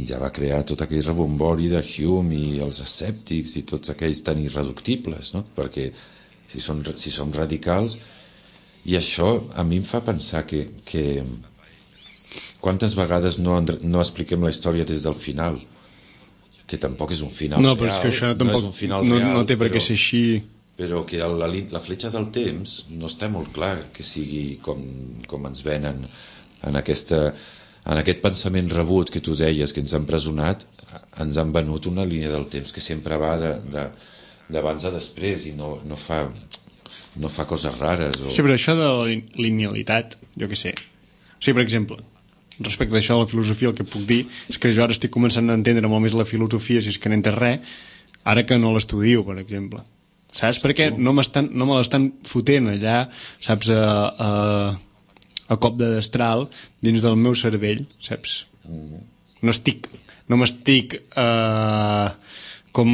ja va crear tot aquell rebombori de Hume i els escèptics i tots aquells tan irreductibles, no? Perquè si som radicals, i això a mi em fa pensar que quantes vegades no expliquem la història des del final, que tampoc és un final real, però és que això tampoc no té per què ser així. però que la fletxa del temps no està molt clar que sigui com ens venen en aquest pensament rebut que tu deies, que ens han empresonat. Ens han venut una línia del temps que sempre va d'abans a després i no fa coses rares Sí, però això de la linealitat, jo què sé. O sigui, per exemple, respecte d'això de la filosofia, el que puc dir és que jo ara estic començant a entendre molt més la filosofia, si és que n'entens res, ara que no l'estudio, per exemple. Saps? Perquè no me l'estan fotent allà, saps, a cop de destral dins del meu cervell, saps? No m'estic com...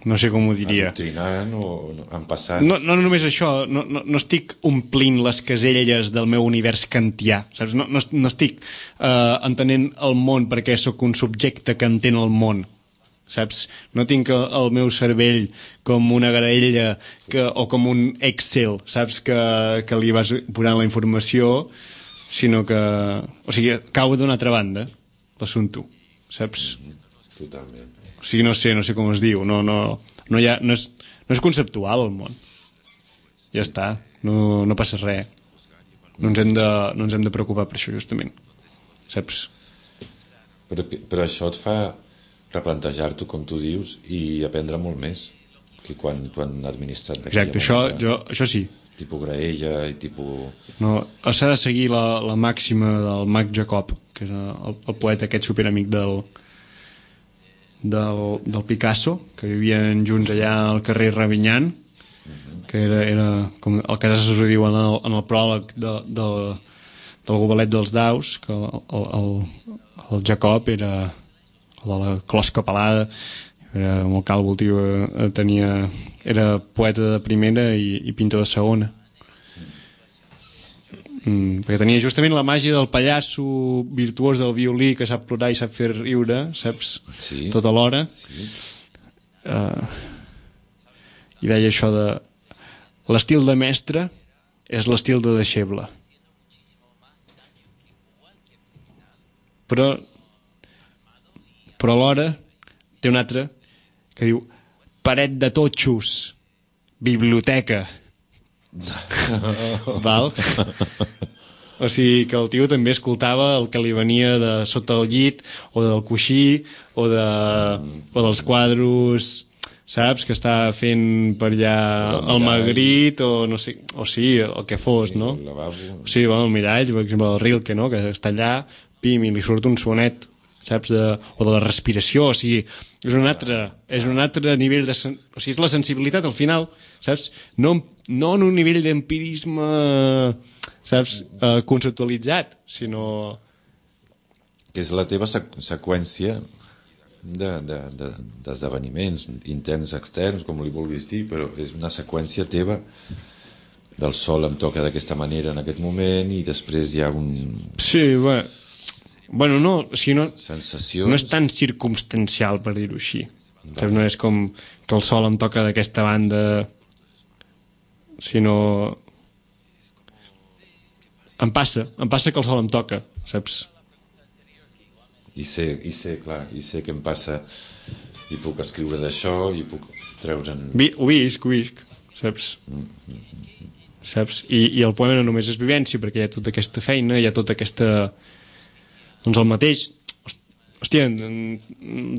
no sé com ho diria. Adoctrinant o empassant. No només això, no estic omplint les caselles del meu univers kantià, saps? No estic entenent el món perquè sóc un subjecte que entén el món, saps? No tinc el meu cervell com una graella o com un Excel, saps? Que li vas posant la informació, sinó que... O sigui, cau d'una altra banda l'assumpte, saps? Totalment. O sigui, no sé com es diu, no és conceptual el món. Ja està, no passa res. No ens hem de preocupar per això, justament. Saps? Però això et fa replantejar-t'ho, com tu dius, i aprendre molt més que quan t'ho han administrat. Exacte, això sí. Tipus graella i tipus... No, s'ha de seguir la màxima del Mag Jacob, que és el poeta aquest superamic del Picasso, que vivien junts allà al carrer Ravignan, que era com el que s'ho diu en el pròleg del Gobelet dels Daus, que el Jacob era el de la closca pelada, era molt calvo el tio, era poeta de primera i pintor de segona, perquè tenia justament la màgia del pallasso virtuós del violí que sap plorar i sap fer riure, saps? Sí. Tota l'hora. Sí. I deia això de l'estil de mestre és l'estil de deixeble, però alhora té un altre que diu paret de totxos, biblioteca. Val? O sigui que el tio també escoltava el que li venia de sota el llit o del coixí o dels quadros, saps? Que està fent per allà el Magritte o no sé, o sí, el que fos, no? El lavabo. Sí, el mirall, per exemple, el Rilke, no? Que està allà, pim, i li surt un sonet, saps? O de la respiració, o sigui, és un altre nivell de... O sigui, és la sensibilitat al final, saps? No en un nivell d'empirisme, saps? Conceptualitzat, sinó... Que és la teva seqüència d'esdeveniments interns, externs, com li vulguis dir, però és una seqüència teva. Del sol em toca d'aquesta manera en aquest moment i després hi ha un... Sí, bueno, no, o sigui, sensacions... no és tan circumstancial, per dir-ho així. No és com que el sol em toca d'aquesta banda, sinó... Em passa que el sol em toca, saps? I sé que em passa i puc escriure d'això i puc treure'n... Ho visc, saps? Saps? I el poema no només és vivència, perquè hi ha tota aquesta feina, hi ha tota aquesta... Doncs el mateix, hòstia,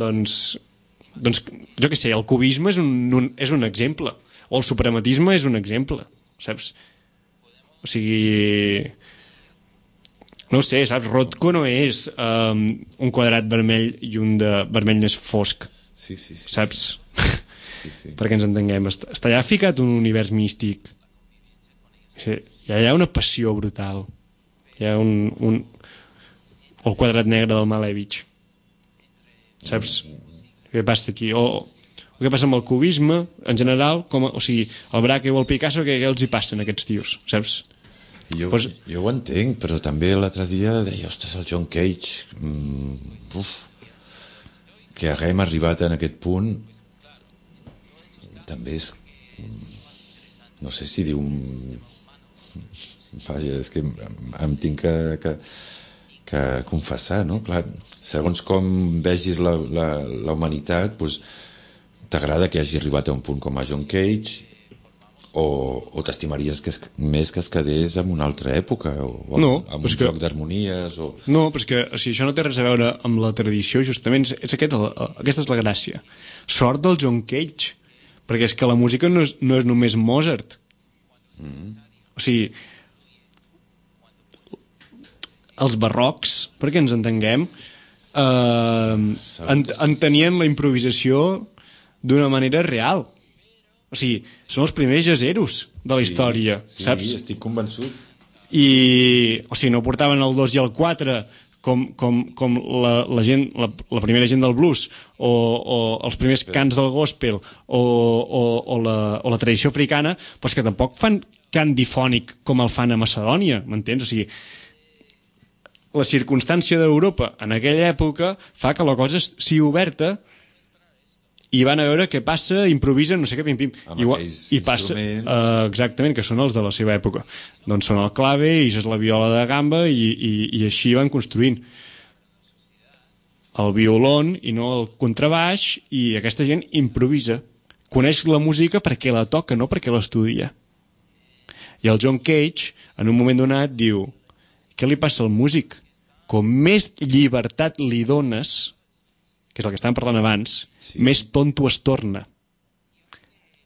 doncs jo què sé, el cubisme és un exemple, o el suprematisme és un exemple, saps? O sigui, no ho sé, saps? Rothko no és un quadrat vermell i un de vermell més fosc, sí, saps? Sí. Perquè ens entenguem, està allà ficat un univers místic, hi ha una passió brutal, hi ha o el quadrat negre del Malevich, saps? Què passa aquí? O què passa amb el cubisme en general, o sigui, el Braque o el Picasso, què els hi passen a aquests tios, saps? Jo ho entenc, però també l'altre dia deia, ostres, el John Cage, que haguem arribat en aquest punt també és, no sé si dir vaja, és que em tinc que confessar, no? Clar, segons com vegis la humanitat, doncs, t'agrada que hagi arribat a un punt com a John Cage o t'estimaries més que es quedés en una altra època o No, amb un joc d'harmonies o... No, però és que això no té res a veure amb la tradició, justament és aquesta és la gràcia. Sort del John Cage, perquè és que la música no és només Mozart. O sigui, els barrocs, perquè ens entenguem, entenien la improvisació d'una manera real. O sigui, són els primers jazzeros de la història, saps? Sí, estic convençut. O sigui, no portaven el 2 i el 4 com la primera gent del blues o els primers cants del gospel o la tradició africana, però és que tampoc fan cant difònic com el fan a Macedònia, m'entens? O sigui, la circumstància d'Europa en aquella època fa que la cosa sigui oberta i van a veure què passa, improvisen, no sé què, pim-pim. I passa, exactament, que són els de la seva època. Doncs són el clave, i és la viola de gamba, i així van construint. El violon i no el contrabaix, i aquesta gent improvisa. Coneix la música perquè la toca, no perquè l'estudia. I el John Cage, en un moment donat, diu: què li passa al músic? Com més llibertat li dones, que és el que estàvem parlant abans, més tonto es torna.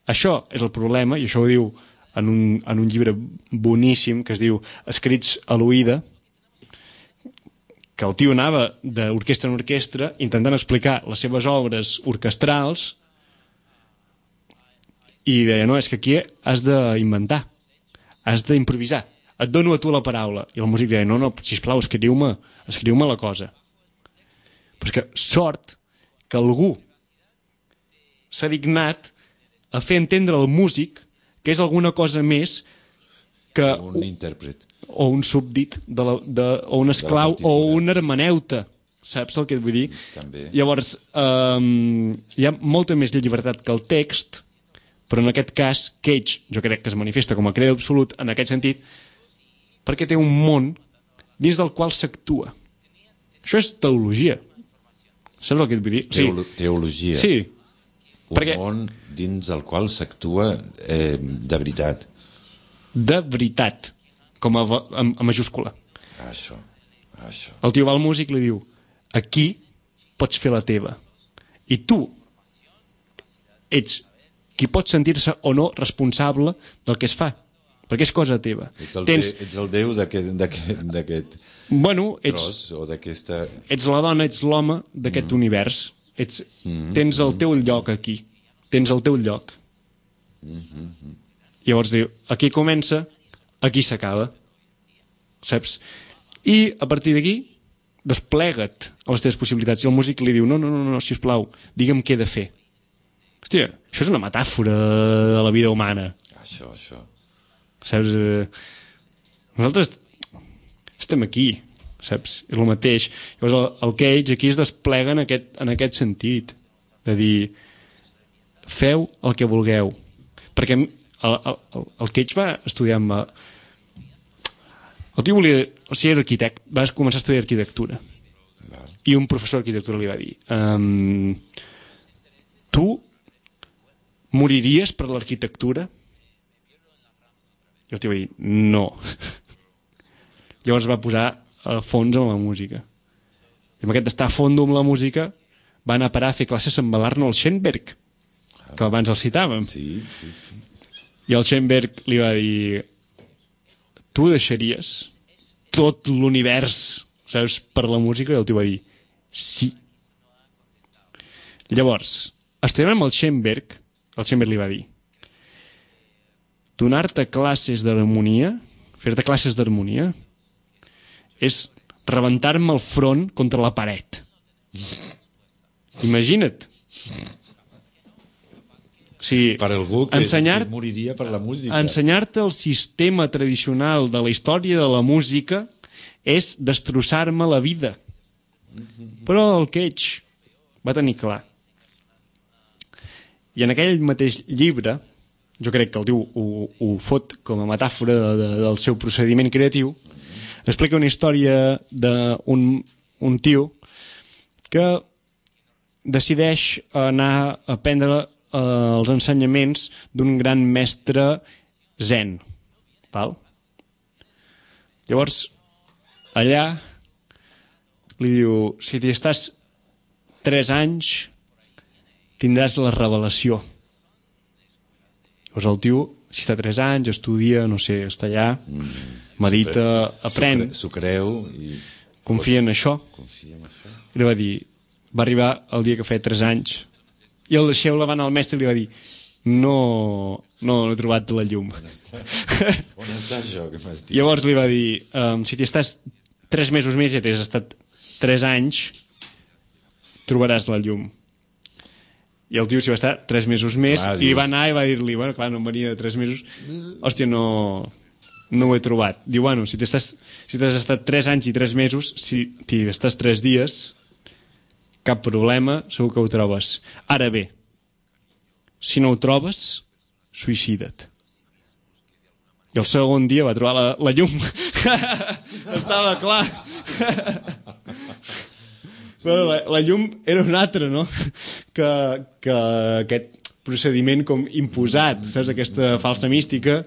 Això és el problema, i això ho diu en un llibre boníssim que es diu Escrits a l'oïda, que el tio anava d'orquestra en orquestra intentant explicar les seves obres orquestrals i deia, no, és que aquí has d'inventar, has d'improvisar, et dono a tu la paraula. I el músic deia, no, sisplau, escriu-me la cosa. Però és que sort que algú s'ha dignat a fer entendre al músic que és alguna cosa més que un intèrpret o un súbdit o un esclau o un hermeneuta, saps el que et vull dir? També. Llavors hi ha molta més llibertat que el text, però en aquest cas Cage jo crec que es manifesta com a creador absolut en aquest sentit perquè té un món dins del qual s'actua. Això és teologia. Saps el que et vull dir? Teologia. Sí. Un món dins del qual s'actua de veritat. De veritat. Com a majúscula. Això. El tio va al músic i li diu: aquí pots fer la teva. I tu ets qui pot sentir-se o no responsable del que es fa. Perquè és cosa teva. Ets el déu d'aquest tros o d'aquesta... Ets la dona, ets l'home d'aquest univers. Tens el teu lloc aquí. Tens el teu lloc. Llavors diu, aquí comença, aquí s'acaba. Saps? I a partir d'aquí desplega't a les teves possibilitats. I el músic li diu, no, sisplau, digue'm què he de fer. Hòstia, això és una metàfora de la vida humana. Això. Saps? Nosaltres estem aquí, saps? És el mateix. Llavors el Cage aquí es desplega en aquest sentit, de dir, feu el que vulgueu. Perquè el Cage va estudiar amb... El tio volia... O sigui, era arquitect, va començar a estudiar arquitectura. I un professor d'arquitectura li va dir, tu moriries per l'arquitectura? I el tio va dir, no. Llavors va posar a fons amb la música. I amb aquest estar a fondo amb la música va anar a parar a fer classes amb l'Arnold Schoenberg, que abans el citàvem. Sí. I el Schoenberg li va dir, tu deixaries tot l'univers, saps, per la música? I el tio va dir, sí. Llavors, estudiant amb el Schoenberg li va dir, donar-te classes d'harmonia, fer-te classes d'harmonia, és rebentar-me el front contra la paret. Imagina't. O sigui, per algú que moriria per la música. Ensenyar-te el sistema tradicional de la història de la música és destrossar-me la vida. Però el Cage va tenir clar. I en aquell mateix llibre, jo crec que el tio ho fot com a metàfora del seu procediment creatiu, explica una història d'un tio que decideix anar a aprendre els ensenyaments d'un gran mestre zen, val? Llavors, allà li diu, si t'hi estàs 3 anys, tindràs la revelació. Llavors el tio, si està 3 anys, estudia, no sé, està allà, medita, aprèn. S'ho creu i... Confia en això. I li va dir, va arribar el dia que feia 3 anys, i el deixeble va anar al mestre i li va dir, no he trobat la llum. On està això que m'has dit? Llavors li va dir, si t'hi estàs 3 mesos més i t'has estat 3 anys, trobaràs la llum. I el tio s'hi va estar 3 mesos més, clar, i va anar i va dir-li, bueno, clar, no em venia de 3 mesos, hòstia, no ho he trobat. Diu, bueno, si t'has estat 3 anys i 3 mesos, si t'hi estàs 3 dies, cap problema, segur que ho trobes. Ara bé, si no ho trobes, suïcida't. I el segon dia va trobar la llum. Estava clar. Bueno, la llum era una altra, no? Que aquest procediment com imposat, saps? Aquesta falsa mística.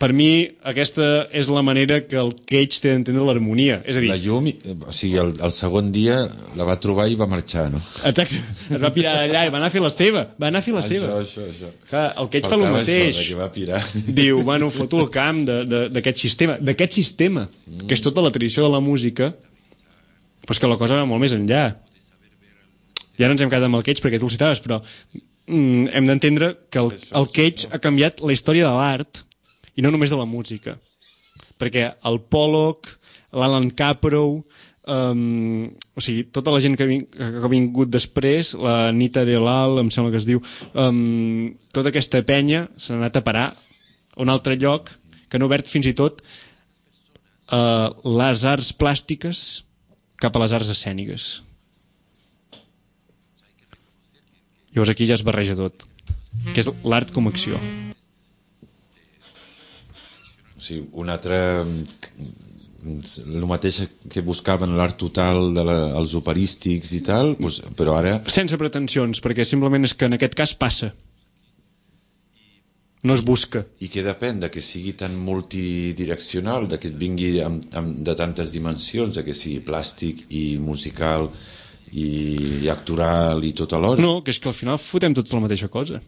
Per mi, aquesta és la manera que el Cage té d'entendre l'harmonia. És a dir... La llum, o sigui, el segon dia la va trobar i va marxar, no? Exacte. Es va pirar d'allà i va anar a fer la seva. Això. Clar, el Cage fa el mateix. Això, que va pirar. Diu, bueno, foto el camp d'aquest sistema. Que és tota la tradició de la música, però és que la cosa va molt més enllà. I ara ens hem quedat amb el Cage perquè tu el citaves, però hem d'entendre que el Cage ha canviat la història de l'art i no només de la música, perquè el Pollock, l'Alan Caprow, o sigui, tota la gent que ha vingut després, la Nita de Lal, em sembla que es diu, tota aquesta penya s'ha anat a parar a un altre lloc que han obert fins i tot les arts plàstiques cap a les arts escèniques. Llavors aquí ja es barreja tot, que és l'art com a acció. Sí, un altre... el mateix que buscaven l'art total dels operístics i tal, doncs, però ara... Sense pretensions, perquè simplement és que en aquest cas passa. No es busca. I que depèn de que sigui tan multidireccional, de que et vingui de tantes dimensions, de que sigui plàstic i musical i actoral i tot alhora. No, que és que al final fotem tots la mateixa cosa.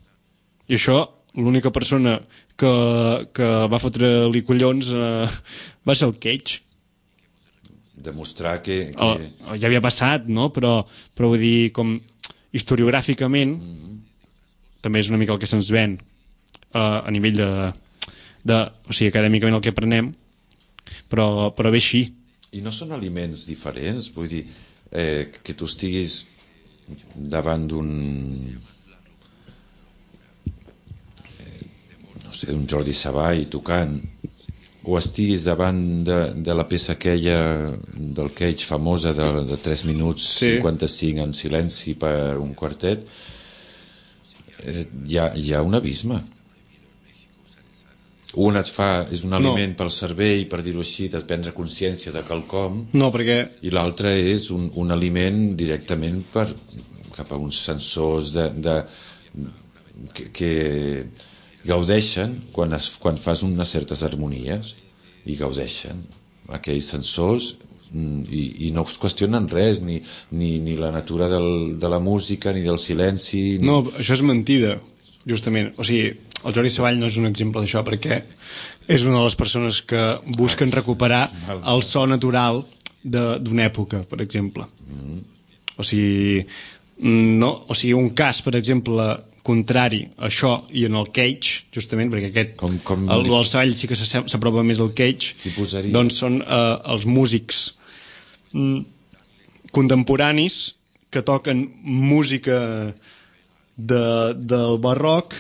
I això... l'única persona que va fotre-li collons va ser el Cage. Demostrar que... Ja havia passat, no? Però vull dir, com historiogràficament, també és una mica el que se'ns ven a nivell o sigui, acadèmicament el que aprenem, però bé així. I no són aliments diferents? Vull dir, que tu estiguis davant d'un un Jordi Savall tocant, o estiguis davant de la peça aquella del Cage famosa de 3 minuts 55 en silenci per un quartet, hi ha un abisme. Un és un aliment pel cervell, per dir-ho així, de prendre consciència de quelcom, i l'altre és un aliment directament cap a uns sensors que gaudeixen quan fas unes certes harmonies, i gaudeixen aquells sensors i no es qüestionen res, ni la natura de la música ni del silenci No, això és mentida, justament. O sigui, el Jordi Savall no és un exemple d'això, perquè és una de les persones que busquen recuperar el so natural d'una època, per exemple. O sigui, un cas, per exemple, contrari a això i en el Cage, justament, perquè aquest el Savall sí que s'apropa més al Cage, doncs són els músics contemporanis que toquen música del barroc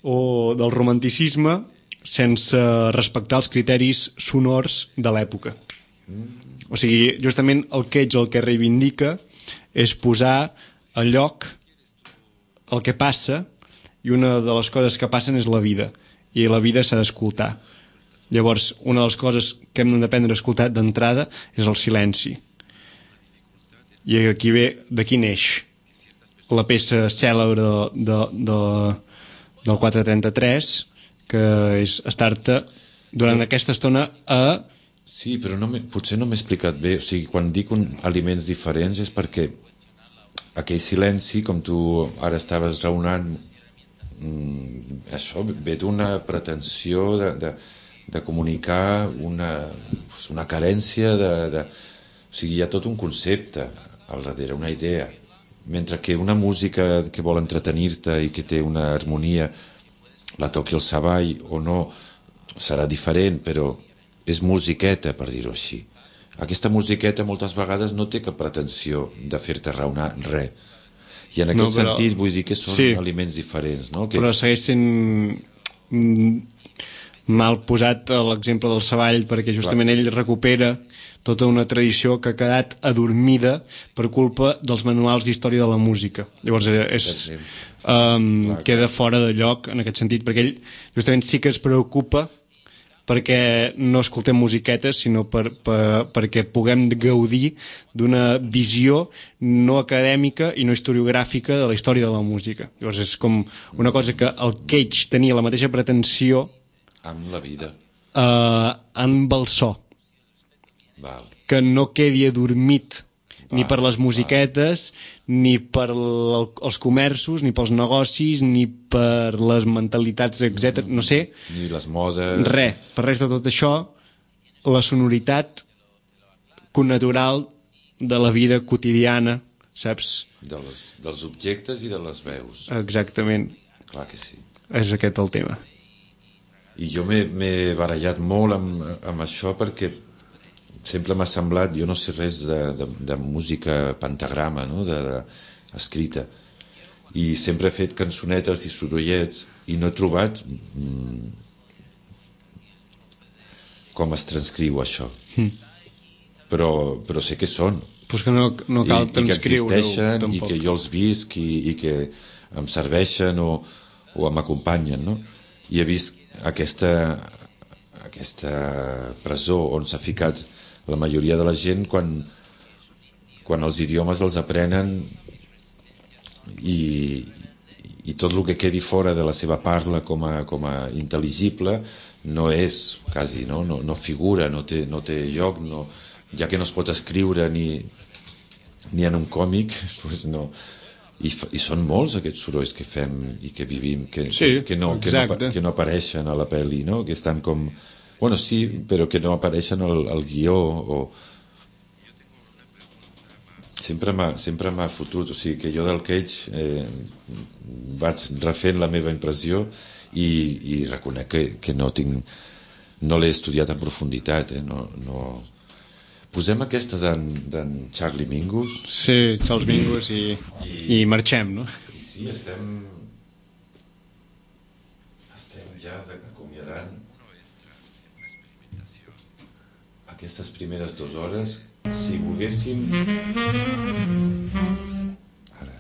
o del romanticisme sense respectar els criteris sonors de l'època. O sigui, justament el Cage el que reivindica és posar a lloc el que passa, i una de les coses que passen és la vida, i la vida s'ha d'escoltar. Llavors, una de les coses que hem d'aprendre a escoltar d'entrada és el silenci. I aquí ve, d'aquí neix. la peça cèlebre del 433, que és estar-te durant aquesta estona a... Sí, però potser no m'he explicat bé. O sigui, quan dic aliments diferents és perquè aquell silenci, com tu ara estaves raonant, això ve d'una pretensió de comunicar una carència o sigui, hi ha tot un concepte al darrere, una idea, mentre que una música que vol entretenir-te i que té una harmonia, la toqui el Savall o no, serà diferent, però és musiqueta, per dir-ho així. Aquesta musiqueta moltes vegades no té cap pretensió de fer-te raonar res. I en aquest sentit vull dir que són aliments diferents, no? Però segueix sent mal posat l'exemple del Savall, perquè justament ell recupera tota una tradició que ha quedat adormida per culpa dels manuals d'història de la música. Llavors queda fora de lloc en aquest sentit, perquè ell justament sí que es preocupa perquè no escoltem musiquetes, sinó perquè puguem gaudir d'una visió no acadèmica i no historiogràfica de la història de la música. Llavors és com una cosa que el Cage tenia la mateixa pretensió amb la vida, amb el so. Val. Que no quedi adormit ni per les musiquetes, ni per els comerços, ni pels negocis, ni per les mentalitats, etc. No sé. Ni les modes. Per res de tot això, la sonoritat connatural de la vida quotidiana, saps? Dels objectes i de les veus. Exactament. Clar que sí. És aquest el tema. I jo m'he barallat molt amb això perquè sempre m'ha semblat, jo no sé res de música pentagrama, no? Escrita, i sempre he fet cançonetes i sorollets i no he trobat com es transcriu això, però sé que són, pues que no cal transcriure, i que existeixen, i que jo els visc i que em serveixen o m'acompanyen, no? I he vist aquesta presó on s'ha ficat la majoria de la gent quan els idiomes els aprenen i tot el que quedi fora de la seva parla com a intel·ligible no és quasi, no figura, no té lloc, ja que no es pot escriure ni en un còmic, doncs no. I són molts aquests sorolls que fem i que vivim que no apareixen a la pel·li, no? Que estan com... Bueno, sí, però que no apareixen al guió sempre m'ha fotut, o sigui que jo del Cage vaig refent la meva impressió i reconec que no l'he estudiat en profunditat, no. Posem aquesta d'en Charlie Mingus. Sí, Charles Mingus i marxem, no? Sí, estem ja acomiadant aquestes primeres 2 hores. Si volguéssim ara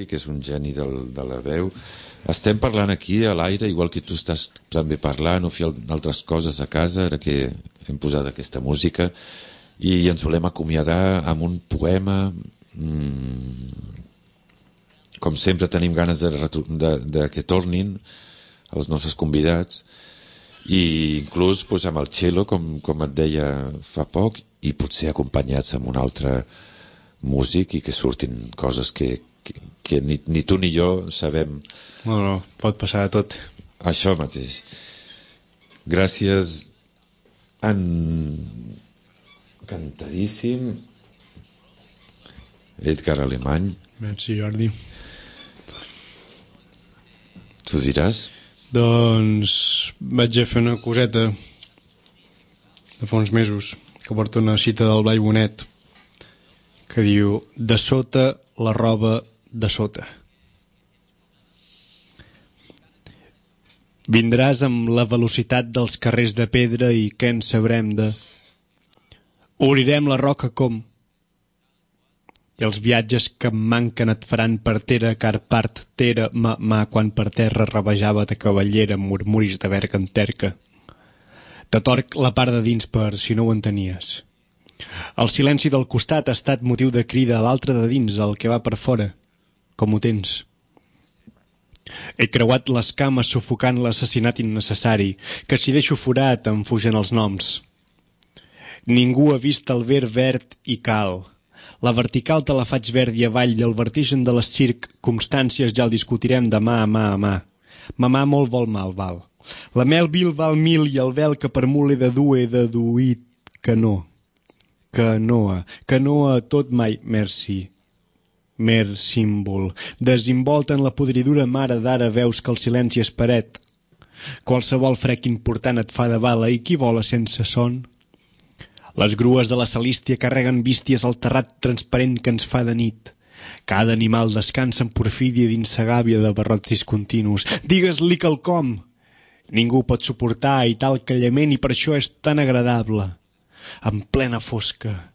que és un geni de la veu. Estem parlant aquí a l'aire, igual que tu estàs també parlant o fent altres coses a casa, ara que hem posat aquesta música, i ens volem acomiadar amb un poema. Com sempre tenim ganes de que tornin els nostres convidats, i inclús amb el cello, com et deia fa poc, i potser acompanyats amb un altre músic, i que surtin coses que ni tu ni jo sabem. No, pot passar de tot. Això mateix. Gràcies, encantadíssim, Edgar Alemany. Merci, Jordi. Tu diràs? Doncs vaig a fer una coseta de fa uns mesos, que porta una cita del Blai Bonet, que diu: de sota la roba de sota. Vindràs amb la velocitat dels carrers de pedra i què en sabrem de... Obrirem la roca com... I els viatges que em manquen et faran partera, car part tera mà quan per terra rabejava de cavallera amb murmuris de verga en terca. Te torc la part de dins per si no ho entenies. El silenci del costat ha estat motiu de crida a l'altre de dins, el que va per fora. Com ho tens? He creuat les cames sufocant l'assassinat innecessari, que si deixo forat em fugen els noms. Ningú ha vist el ver verd i cal. La vertical te la faig verd i avall i el vertigen de les circumstàncies ja el discutirem de mà a mà a mà. Mamà molt vol mal, val. La mel vil val 1000 i el vel que per mul he de dur he deduït que no. Que no a tot mai, merci. Mer símbol. Desinvolta en la podridura mare d'ara veus que el silenci és paret. Qualsevol frec important et fa de bala i qui vola sense son? Les grues de la Celístia carreguen bísties al terrat transparent que ens fa de nit. Cada animal descansa en porfídia dins sa gàbia de barrots discontinus. Digues-li quelcom! Ningú pot suportar i tal callament i per això és tan agradable. En plena fosca,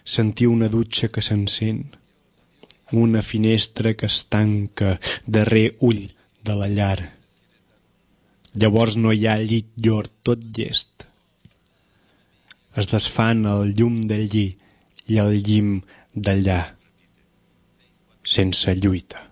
sentir una dutxa que s'encén. Una finestra que es tanca darrer ull de la llar. Llavors no hi ha llit llor, tot llest. Es desfan el llum del lli i el llim d'allà, sense lluita.